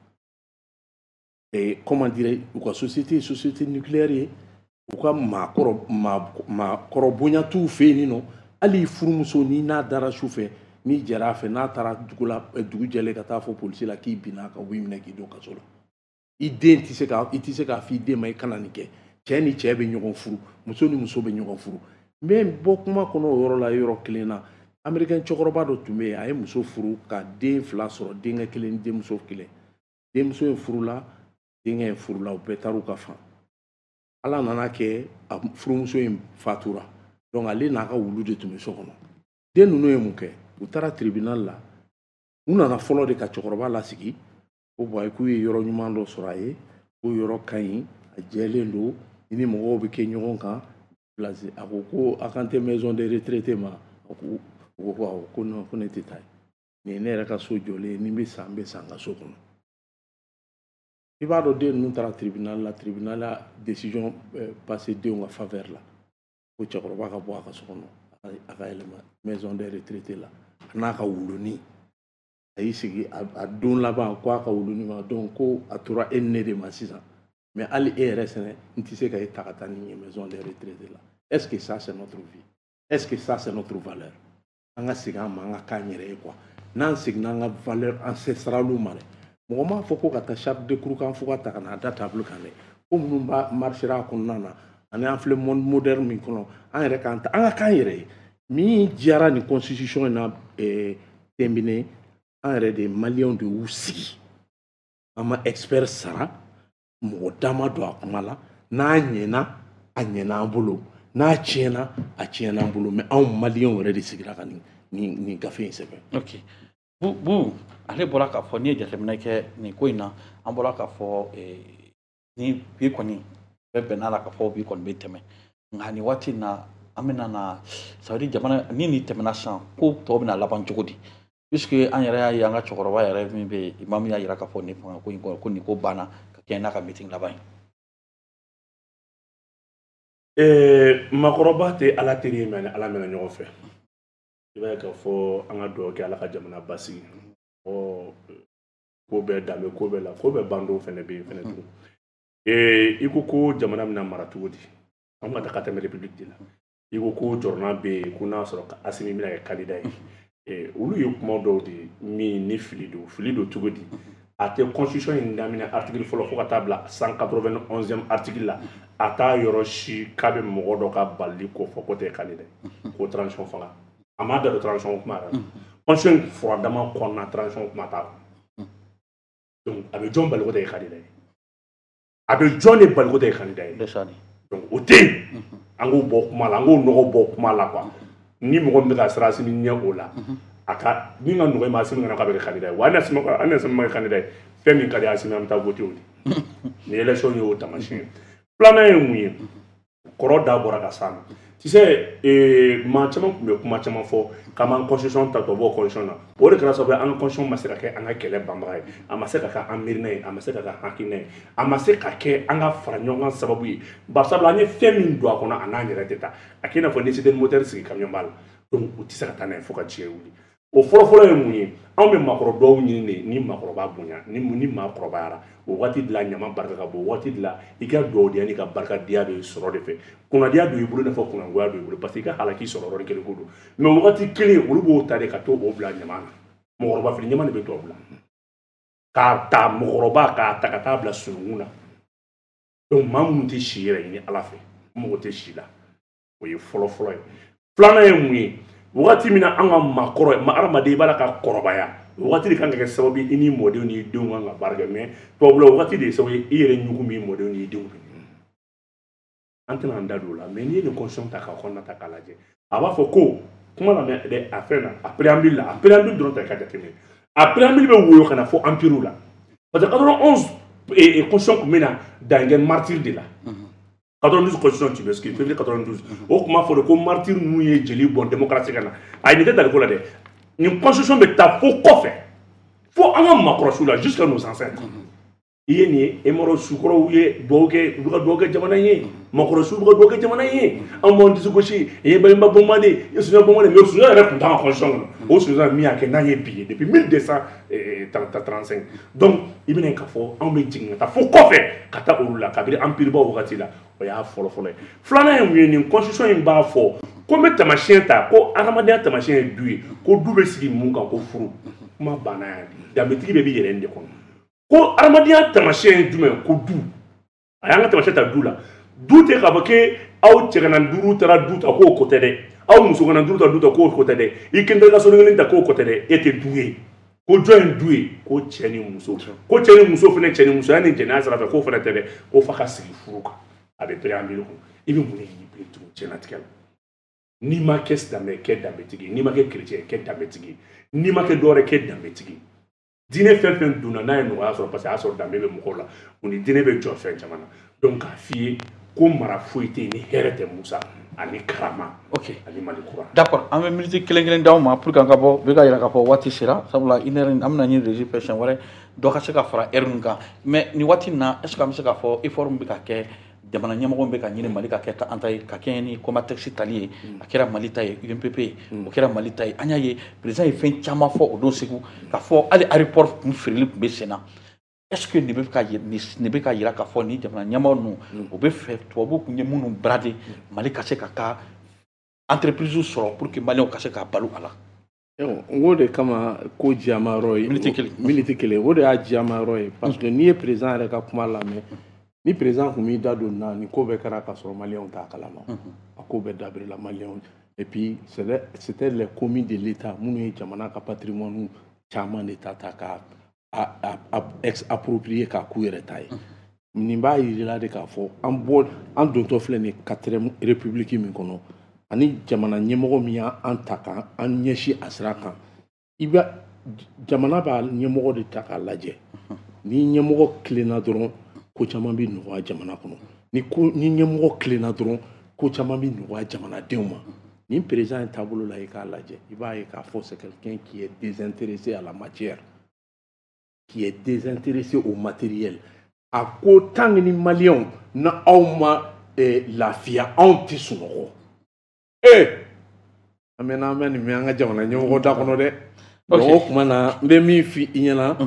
Et comment dire, u ka société ye société nucléaire ye, u ka maakɔrɔ maakɔrɔ bonya t'u fɛ yen nɔ. Hali furumuso, n'i n'a dara su fɛ, n'i jɛra a fɛ, n'a taara dugu la dugu jɛlen ka taa fɔ polisi la k'i binna a kan, u b'i minɛ k'i don kaso la. I den tɛ se ka, i tɛ se k'a fɔ i den ma i kana nin kɛ. Cɛ ni cɛ bɛ ɲɔgɔn furu, muso ni muso bɛ ɲɔgɔn furu. N bɛ bɔ kuma kɔnɔ o yɔrɔ la. Yɔrɔ kelen na, américain cɛkɔrɔba dɔ tun bɛ yen, a ye muso furu ka den fila sɔrɔ, denkɛ kelen ni denmuso kelen. Denmuso in furula, denkɛ in furula, u bɛɛ taar'u ka fan. Ala nana kɛ a furumuso in fatura, donc ale n'a ka wulu de tun bɛ so kɔnɔ. Den ninnu ye mun kɛ? U taara tribunal la. U nana fɔlɔ de ka cɛkɔrɔba lasigi ko bon, k'u ye yɔrɔ ɲuman dɔ sɔrɔ a ye, ko yɔrɔ ka ɲi, a jɛlen don, i ni mɔgɔw bɛ kɛ ɲɔgɔn kan place. A ko ko a kan tɛ maison de retraite ma? A ko, u ko ko awɔ, ko non, ko ne tɛ taa yen, nin ye ne yɛrɛ ka so jɔlen ye, ni n bɛ sa, n bɛ sa n ka so kɔnɔ. I b'a dɔn, den ninnu taara tribunal la, tribunal la décision passé denw ka faveur la, ko cɛkɔrɔba ka bɔ a ka so kɔnɔ, a ka yɛlɛma maison de retraite la, a n'a ka wulunin. A y'i sigi a don laban ko a ka wulunin ma, donc ko a tora e ni ne de ma sisan, mais hali e yɛrɛ sɛnɛ, n tɛ se ka e ta ka taa ni ye maison de retraite la. Est-ce que ça, c'est notre vie? Est-ce que ça, c'est notre valeur? An ka segin an ma, an ka k'an yɛrɛ ye quoi. N'an seginna an ka valeur ancestrale ma dɛ, mɔgɔ m'a fɔ ko ka taa charte de Kurukanfuga ta ka n'a da table kan dɛ. Ko minnu b'a marchera a kɔnɔna na, ani an filɛ monde moderne min kɔnɔ, an yɛrɛ k'an ta, an ka k'an yɛrɛ ye. Min diyara nin constitution in na tɛnbine, an yɛrɛ de maliyɛnw de y'u sigi, an ma expert sara, mɔgɔ da ma don a kuma la. N'a ɲɛna, a ɲɛna an bolo, n'a tiɲɛna, a tiɲɛna an bolo, mais anw maliyɛnw yɛrɛ de sigira ka nin nin nin gafe in sɛbɛn. Ok, bu bu ale bɔra k'a fɔ, n'i ye jateminɛ kɛ nin ko in na, an bɔra k'a fɔ ni bi kɔni bɛɛ bɛnna la k'a fɔ bi kɔni bɛ tɛmɛ, nka nin waati in na, an bɛna na, ça veut dire jamana ni nin tɛmɛna sisan, ko tɔw bɛna laban cogo di? Puisque an yɛrɛ y'a ye, an ka cɛkɔrɔba yɛrɛ min bɛ yen, imam y'a jira k'a fɔ nin fanga ko in kɔnɔ, ko nin ko banna ka kɛɲɛ n'a ka meeting laban ye. Maakɔrɔba tɛ Ala teri ye, mais ni Ala mɛnna ɲɔgɔn fɛ, i b'a ye k'a fɔ an ka dugawu kɛ Ala ka jamana basigi. Ɔ ko bɛɛ danbe, ko bɛɛ la, ko bɛɛ bandon fɛnɛ bɛ yen fɛnɛ tugun. I ko ko jamana bɛna mara cogo di? An ka taa ka tɛmɛ république de la. I ko ko jɔrɔna bɛ yen ko n'a sɔrɔ Assimi bɛna kɛ candidat ye, olu ye kuma dɔw de ye min ni fili don. Fili don cogo di? A tɛ constitution in daminɛ article fɔlɔ fo ka taa bila cent quatre-vingt-onzième article la, a t'a yɔrɔ si k'a bɛ mɔgɔ dɔ ka balili ko fɔ ko tɛ candidat ye, ko transition fanga. A m'a da don transition kuma yɛrɛ la. Constitution in furadama kɔnɔna, transition kuma t'a kɔnɔ. Donc a bɛ jɔn bali ko tɛ candidat ye? A bɛ jɔn de bali ko tɛ candidat ye? Donc o tɛ yen. An k'o bɔ kuma la, an k'o nɔgɔ bɔ kuma la quoi. Ni mɔgɔ min bɛ ka siran Assimi ɲɛ o la, a ka min ka nɔgɔ i ma, Assimi kana k'a bɛ kɛ candidat ye wa. Hali ni Assimi ma kɛ candidat ye, fɛn min ka di Assimi, an bɛ taa voter o de. Ni élection y'o taamasiyɛn ye. Filanan ye mun ye? Kɔrɔ da bɔra ka s'a ma. Tu sais, maa caman tun bɛ kuma caman fɔ k'an b'an constitution ta tubabuw constitution na. O de kɛra sababu ye an ka constitution ma se ka kɛ an ka kɛlɛ banbaga ye, a ma se ka kɛ an miirina ye, a ma se ka kɛ hakilina ye, a ma se ka kɛ an ka fara ɲɔgɔn kan sababu ye. Barisabula an ye fɛn min don a kɔnɔ, a n'an yɛrɛ tɛ taa. A k'i n'a fɔ ni citerne moteur sigi camion ba la, donc u tɛ se ka taa n'a ye fo ka diɲɛ wuli. O fɔlɔfɔlɔ ye mun ye? Anw bɛ maakɔrɔ dɔw ɲini de ni maakɔrɔba bonya, ni ni maa kɔrɔbayara, o waati de la ɲama barika ka bon, o waati de la i ka dugawudenya n'i ka barikadenya bɛ sɔrɔ de fɛ. Kunnadiya don i bolo i n'a fɔ kunnangoya don i bolo, parce que i ka halaki sɔrɔ yɔrɔnin kelen ko don. Mais o waati kelen olu b'o ta de ka t'o bila ɲama na. Mɔgɔkɔrɔba fili ɲama de bɛ tubabu la. K'a ta mɔgɔkɔrɔba k'a ta ka taa bila sununkun na. Donc maa minnu tɛ si yɛrɛ ɲini Ala fɛ, mɔgɔ tɛ si la. O ye fɔlɔ-fɔlɔ ye. Filanan ye mun ye? Wagati min na an ka maakɔrɔ, ma hadamaden i b'a la ka kɔrɔbaya, o wagati de kan ka kɛ sababu ye i ni mɔdenw n'i denw kan ka baara kɛ. Mais tubabula o wagati de ye sababu ye i yɛrɛ ɲugun b'i mɔdenw n'i denw. An tɛna an da don o la, mais n'i ye nin constitution ta k'a kɔnɔna ta k'a lajɛ, a b'a fɔ ko kuma lamɛn dɛ, a fɛn na a préambule la, a préambule dɔrɔn ta i ka jateminɛ. A préambule bɛ woyo ka na fɔ empire la, parce que quatre-vingt-onze constitution tun bɛ na dan kɛ martyr de la. quatre-vingt-douze constitution, tu m'excuses, février quatre-vingt-douze. O tun b'a fɔ de ko martyr ninnu ye jeli bɔn démocratie ka na. Ayi, nin tɛ daliko la dɛ. Nin constitution bɛ taa fo kɔfɛ, fo an ka maakɔrɔsiw la, jusqu'à nos ancêtres. I ye nin ye, e sukɔrɔw ye dugawu kɛ, u bɛ ka dugawu kɛ jamana in ye, maakɔrɔsiw bɛ ka dugawu kɛ jamana in ye. An b'an disi gosi, i ye Baɲuman Bɔnba de, i ye Sunjata Bɔnba de, mais Sunjata yɛrɛ tun t'an ka constitution kɔnɔ. O Sunjata min y'a kɛ n'an ye bi ye depuis mille deux cent trente-cinq. Donc i bɛna k'a fɔ anw bɛ jigin ka taa fo kɔfɛ ka taa olu la kabini empire baw wagati la. O y'a fɔlɔ-fɔlɔ ye. Filanan ye mun ye? Nin constitution in b'a fɔ ko n bɛ taamasiyɛn ta, ko adamadenya taamasiyɛn ye du ye, ko du bɛ sigi mun kan? Ko furu. Kuma banna yan. Danbetigi bɛɛ b'i yɛrɛ de kɔnɔ. Ko adamadenya taamasiyɛn ye jumɛn? Ko du. A y'an ka taamasiyɛn ta du la. Du tɛ k'a fɔ k'e aw cɛ kana duuru taara du ta k'o ko tɛ dɛ, aw muso kana duuru ta du ta k'o ko tɛ dɛ, i kelen ka so kelen ta k'o ko tɛ dɛ, e tɛ du ye. Ko jɔn ye du ye? Ko cɛ ni muso. Ko cɛ ni muso fana, cɛ ni musoya ni jɛnɛya sira fɛ k'o fana tɛ dɛ, ko f'a ka sigi furu kan. A bɛ préambule kɔnɔ. I bɛ mun de ɲini bilen tugun diɲɛlatigɛ la? N'i ma kɛ silamɛ, kɛ danbetigi. N'i ma kɛ chrétien, kɛ danbetigi. N'i ma kɛ dɔwɛrɛ, kɛ danbetigi. Diinɛ fɛn fɛn donna n'a ye nɔgɔya sɔrɔ, parce que a y'a sɔrɔ danbe bɛ mɔgɔw la, o ni diinɛ bɛ jɔ fɛn caman na. Donc k'a f'i ye ko mara foyi tɛ yen ni hɛrɛ tɛ, Musa, ani karama. Ok, ani Mali kura. D'accord, an bɛ minute kelen kelen d'aw ma pour que an ka bɔ, bɛ ka yira k'a fɔ waati sera, sabula une heure an bɛna ɲini régie fɛ siɲɛ wɛrɛ dɔ ka se ka fara heure ninnu kan. Mais nin waati in na, est ce que an bɛ se k'a fɔ effort min bɛ ka kɛ, jamana ɲɛmɔgɔ bɛ ka ɲini Mali ka kɛ an ta ye, ka kɛɲɛ ni Comatex tali ye, a kɛra Mali ta ye, U M P P ye, o kɛra Mali ta ye. An y'a ye président ye fɛn caman fɔ o don Segu, k'a fɔ hali aéroport kun feereli tun bɛ sen na. Est ce que nin bɛ ka nin bɛ ka yira k'a fɔ ni jamana ɲɛmɔgɔ ninnu o bɛ fɛ tubabuw tun ye minnu brader, Mali ka se ka ka entreprise sɔrɔ pour que Maliyɛnw ka se ka balo a la? N ko de kama ko jiyama yɔrɔ ye minute kelen, minute kelen, o de y'a jiyama yɔrɔ ye, parce que n'i ye président yɛrɛ ka kuma lamɛn, ni président tun b'i da don nin na, nin ko bɛɛ kɛra ka sɔrɔ Maliyɛnw t'a kalama. A ko bɛɛ dabirila Maliyɛnw. Et puis c'était les commis de l'État minnu ye jamana ka patrimoine caman de ta ta k'a approprier k'a k'u yɛrɛ ta ye. Nin b'a yirila de k'a fɔ an bɔ an dontɔ filɛ nin quatrième république min kɔnɔ, ani jamana ɲɛmɔgɔ min y'an ta k'an ɲɛsin a sira kan, i bɛ jamana b'a ɲɛmɔgɔ de ta k'a lajɛ. Ni ɲɛmɔgɔ tilenna dɔrɔn, ko caman bɛ nɔgɔya jamana kɔnɔ. Ni ko ni ɲɛmɔgɔ tilenna dɔrɔn, ko caman bɛ nɔgɔya jamanadenw ma. Nin président in taabolo la, i k'a lajɛ, i b'a ye k'a fɔ c'est quelqu'un qui est désintéressé à la matière, qui est désintéressé au matériel. A ko tant que ni Maliyɛnw na aw ma lafiya, anw tɛ sunɔgɔ. Ee, an mɛnna an bɛ nin mɛn an ka jamana ɲɛmɔgɔ da kɔnɔ dɛ. Donc o tuma na, n bɛ min f'i ɲɛna,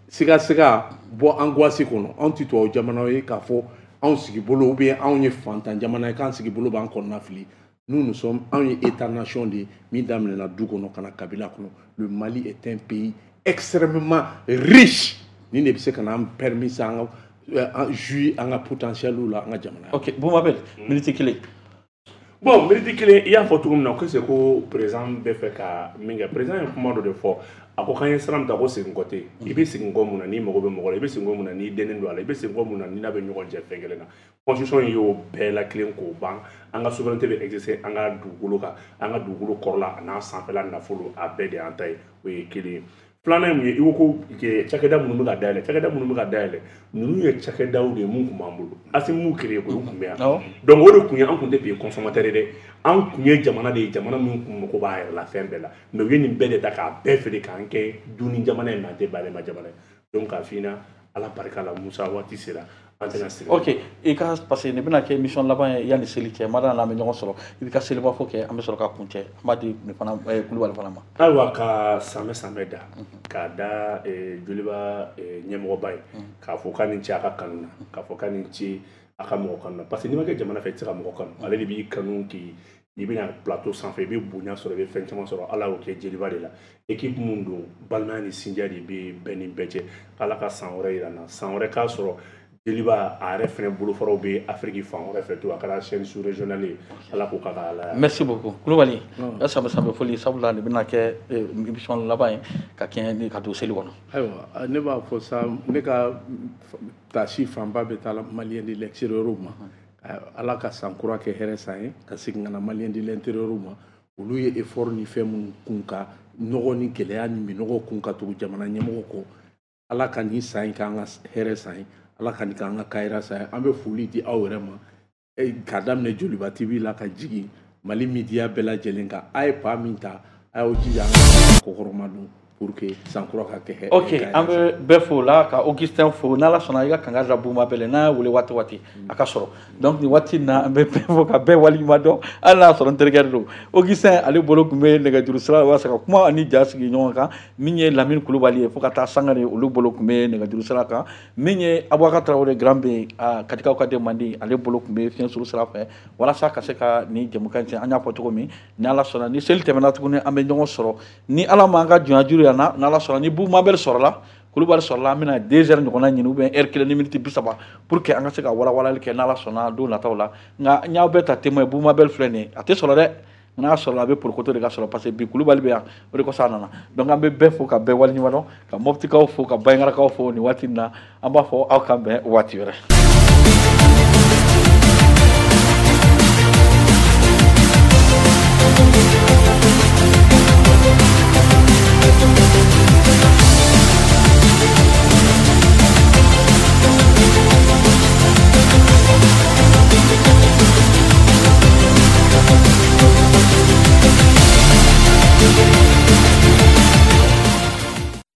siga-siga bɔ angoisse kɔnɔ. Anw tɛ tubabu jamanaw ye k'a fɔ anw sigi bolo, ou bien anw ye fantan jamana ye k'an sigi bolo b'an kɔnɔna fili. Nous, nous sommes anw ye état nation de ye min daminɛna du kɔnɔ ka na kabila kɔnɔ. Le Mali est un pays extrêmement riche. Nin de bɛ se ka n'an permis an ka jouir an ka potentiel la an ka jamana. Ok, Boumabel, minute kelen. Bon, minute kelen, i y'a fɔ cogo min na ko c'est ko président bɛ fɛ ka min kɛ, président ye kuma dɔ de fɔ. A ko k'an ye sira min ta, ko segin kɔ tɛ yen. I bɛ segin kɔ mun na n'i mago bɛ mɔgɔ la? I bɛ segin kɔ mun na n'i dɛnnen don a la? I bɛ segin kɔ mun na n'i n'a bɛ ɲɔgɔn jɛ fɛn kelen na? Constitution y'o bɛɛ la kelen k'o ban. An ka souveraineté bɛ exercer an ka dugukolo kan, an ka dugukolo kɔrɔla a n'a sanfɛla nafolo, a bɛɛ de y'an ta ye. O ye kelen ye. Filanan ye mun ye, i ko ko cakɛda minnu bɛ ka dayɛlɛ, cakɛda minnu bɛ ka dayɛlɛ, ninnu ye cakɛdaw de ye mun tun b'an bolo. Assimi m'u créé koyi, u tun bɛ yan. Donc o de kun ye, an tun tɛ pays consommateur ye dɛ, an tun ye jamana de ye, jamana min tun mago b'a yɛrɛ la fɛn bɛɛ la. Mais u ye nin bɛɛ de ta k'a bɛɛ feere k'an kɛ dunni jamana ye, mais an tɛ bayɛlɛma jamana ye. Donc k'a f'i ɲɛna, Ala barika la, Musa, waati sera an tɛna siri. Ok, i ka, parce que nin bɛna kɛ émission laban ye yanni seli cɛ, mada n'an bɛ ɲɔgɔn sɔrɔ, i bɛ ka seliba fɔ kɛ, an bɛ sɔrɔ ka kun cɛ, an b'a di nin fana Kulubali fana ma. Ayiwa, ka sanbɛ sanbɛ da k'a da Joliba ɲɛmɔgɔba ye, k'a fɔ k'a ni ce a ka kanu na, k'a fɔ k'a ni ce a ka mɔgɔ kanu na, parce que n'i ma kɛ jamana fɛ, i tɛ se ka mɔgɔ kanu. Ale de b'i kanu k'i i bɛna plateau sanfɛ, i bɛ bonya sɔrɔ, i bɛ fɛn caman sɔrɔ. Ala y'o kɛ Joliba de la. Équipe mun don, balimaya ni sinjiya de bɛ bɛɛ ni bɛɛ cɛ. Ala ka san wɛrɛ yira n na, san wɛrɛ k'a sɔrɔ Joliba a yɛrɛ fɛnɛ bolofaraw bɛ Afrique fan wɛrɛ fɛ to, a kɛra chaîne sous régionale ye. Ala k'o k'a ka Ala. Merci beaucoup Kulubali. Ya sanbɛ sanbɛ foli, sabula nin bɛna kɛ émission laban ye ka kɛɲɛ ni ka don seli kɔnɔ. Ayiwa, ne b'a fɔ sa, ne ka tasi fanba bɛ taa Malien de l'extérieur ma. Ala ka san kura kɛ hɛrɛ san ye, ka segin ka na Malien de l'intérieur ma. Olu ye effort ni fɛn minnu kun ka nɔgɔ ni gɛlɛya ni minɔgɔ kun ka tugu jamana ɲɛmɔgɔ kɔ, Ala ka nin san in k'an ka hɛrɛ san ye, Ala ka nin k'an ka kayira san ye. An bɛ foli di aw yɛrɛ ma, k'a daminɛ Joliba T V la ka jigin Mali media bɛɛ lajɛlen kan. A ye pa min ta, a y'aw jija an ka kɔkɔrɔma don pour que san kura ka kɛ hɛrɛ. Ok, an bɛ bɛɛ fo la, ka Augustin fo. N'Ala sɔnna, i ka kanga da Buma bɛɛ la, n'a y'a wele waati waati a ka sɔrɔ. Donc nin waati in na, an bɛ bɛɛ fo ka bɛɛ waleɲuman dɔn, hali n'a y'a sɔrɔ n terikɛ de don. Augustin ale bolo tun bɛ nɛgɛjuru sira la walasa ka kuma ani ja sigi ɲɔgɔn kan. Min ye Lamini Kulubali ye fo ka taa Sangare, olu bolo tun bɛ nɛgɛjuru sira kan. Min ye Abubakar Tarawele Grand B, Katikaw ka den mandi, ale bolo tun bɛ fiɲɛ suru sira fɛ walasa ka se ka nin jɛmukan in. An y'a fɔ cogo min, ni Ala sɔnna, ni seli tɛmɛna tuguni, an bɛ ɲɔgɔn sɔrɔ. Ni Ala m'an ka jɔnya juru yan na, n'Ala sɔnna, ni Bumabel sɔrɔla, Kulubali sɔrɔla, an bɛna deux heures ɲɔgɔnna ɲini ou bien heure kelen ni miniti bi saba pour que an ka se ka walawalali kɛ, n'Ala sɔnna, don nataw la. Nka n y'aw bɛɛ ta témoin, Bumabel filɛ nin ye, a tɛ sɔrɔ dɛ, n'a sɔrɔla a bɛ porokoto de ka sɔrɔ, parce que bi Kulubali bɛ yan, o de kosɔn a nana. Donc an bɛ bɛɛ fo ka bɛɛ waleɲuman dɔn, ka Moptikaw fo, ka Bandiagarakaw fo nin waati in na. An b'a fɔ aw k'an bɛn waati wɛrɛ.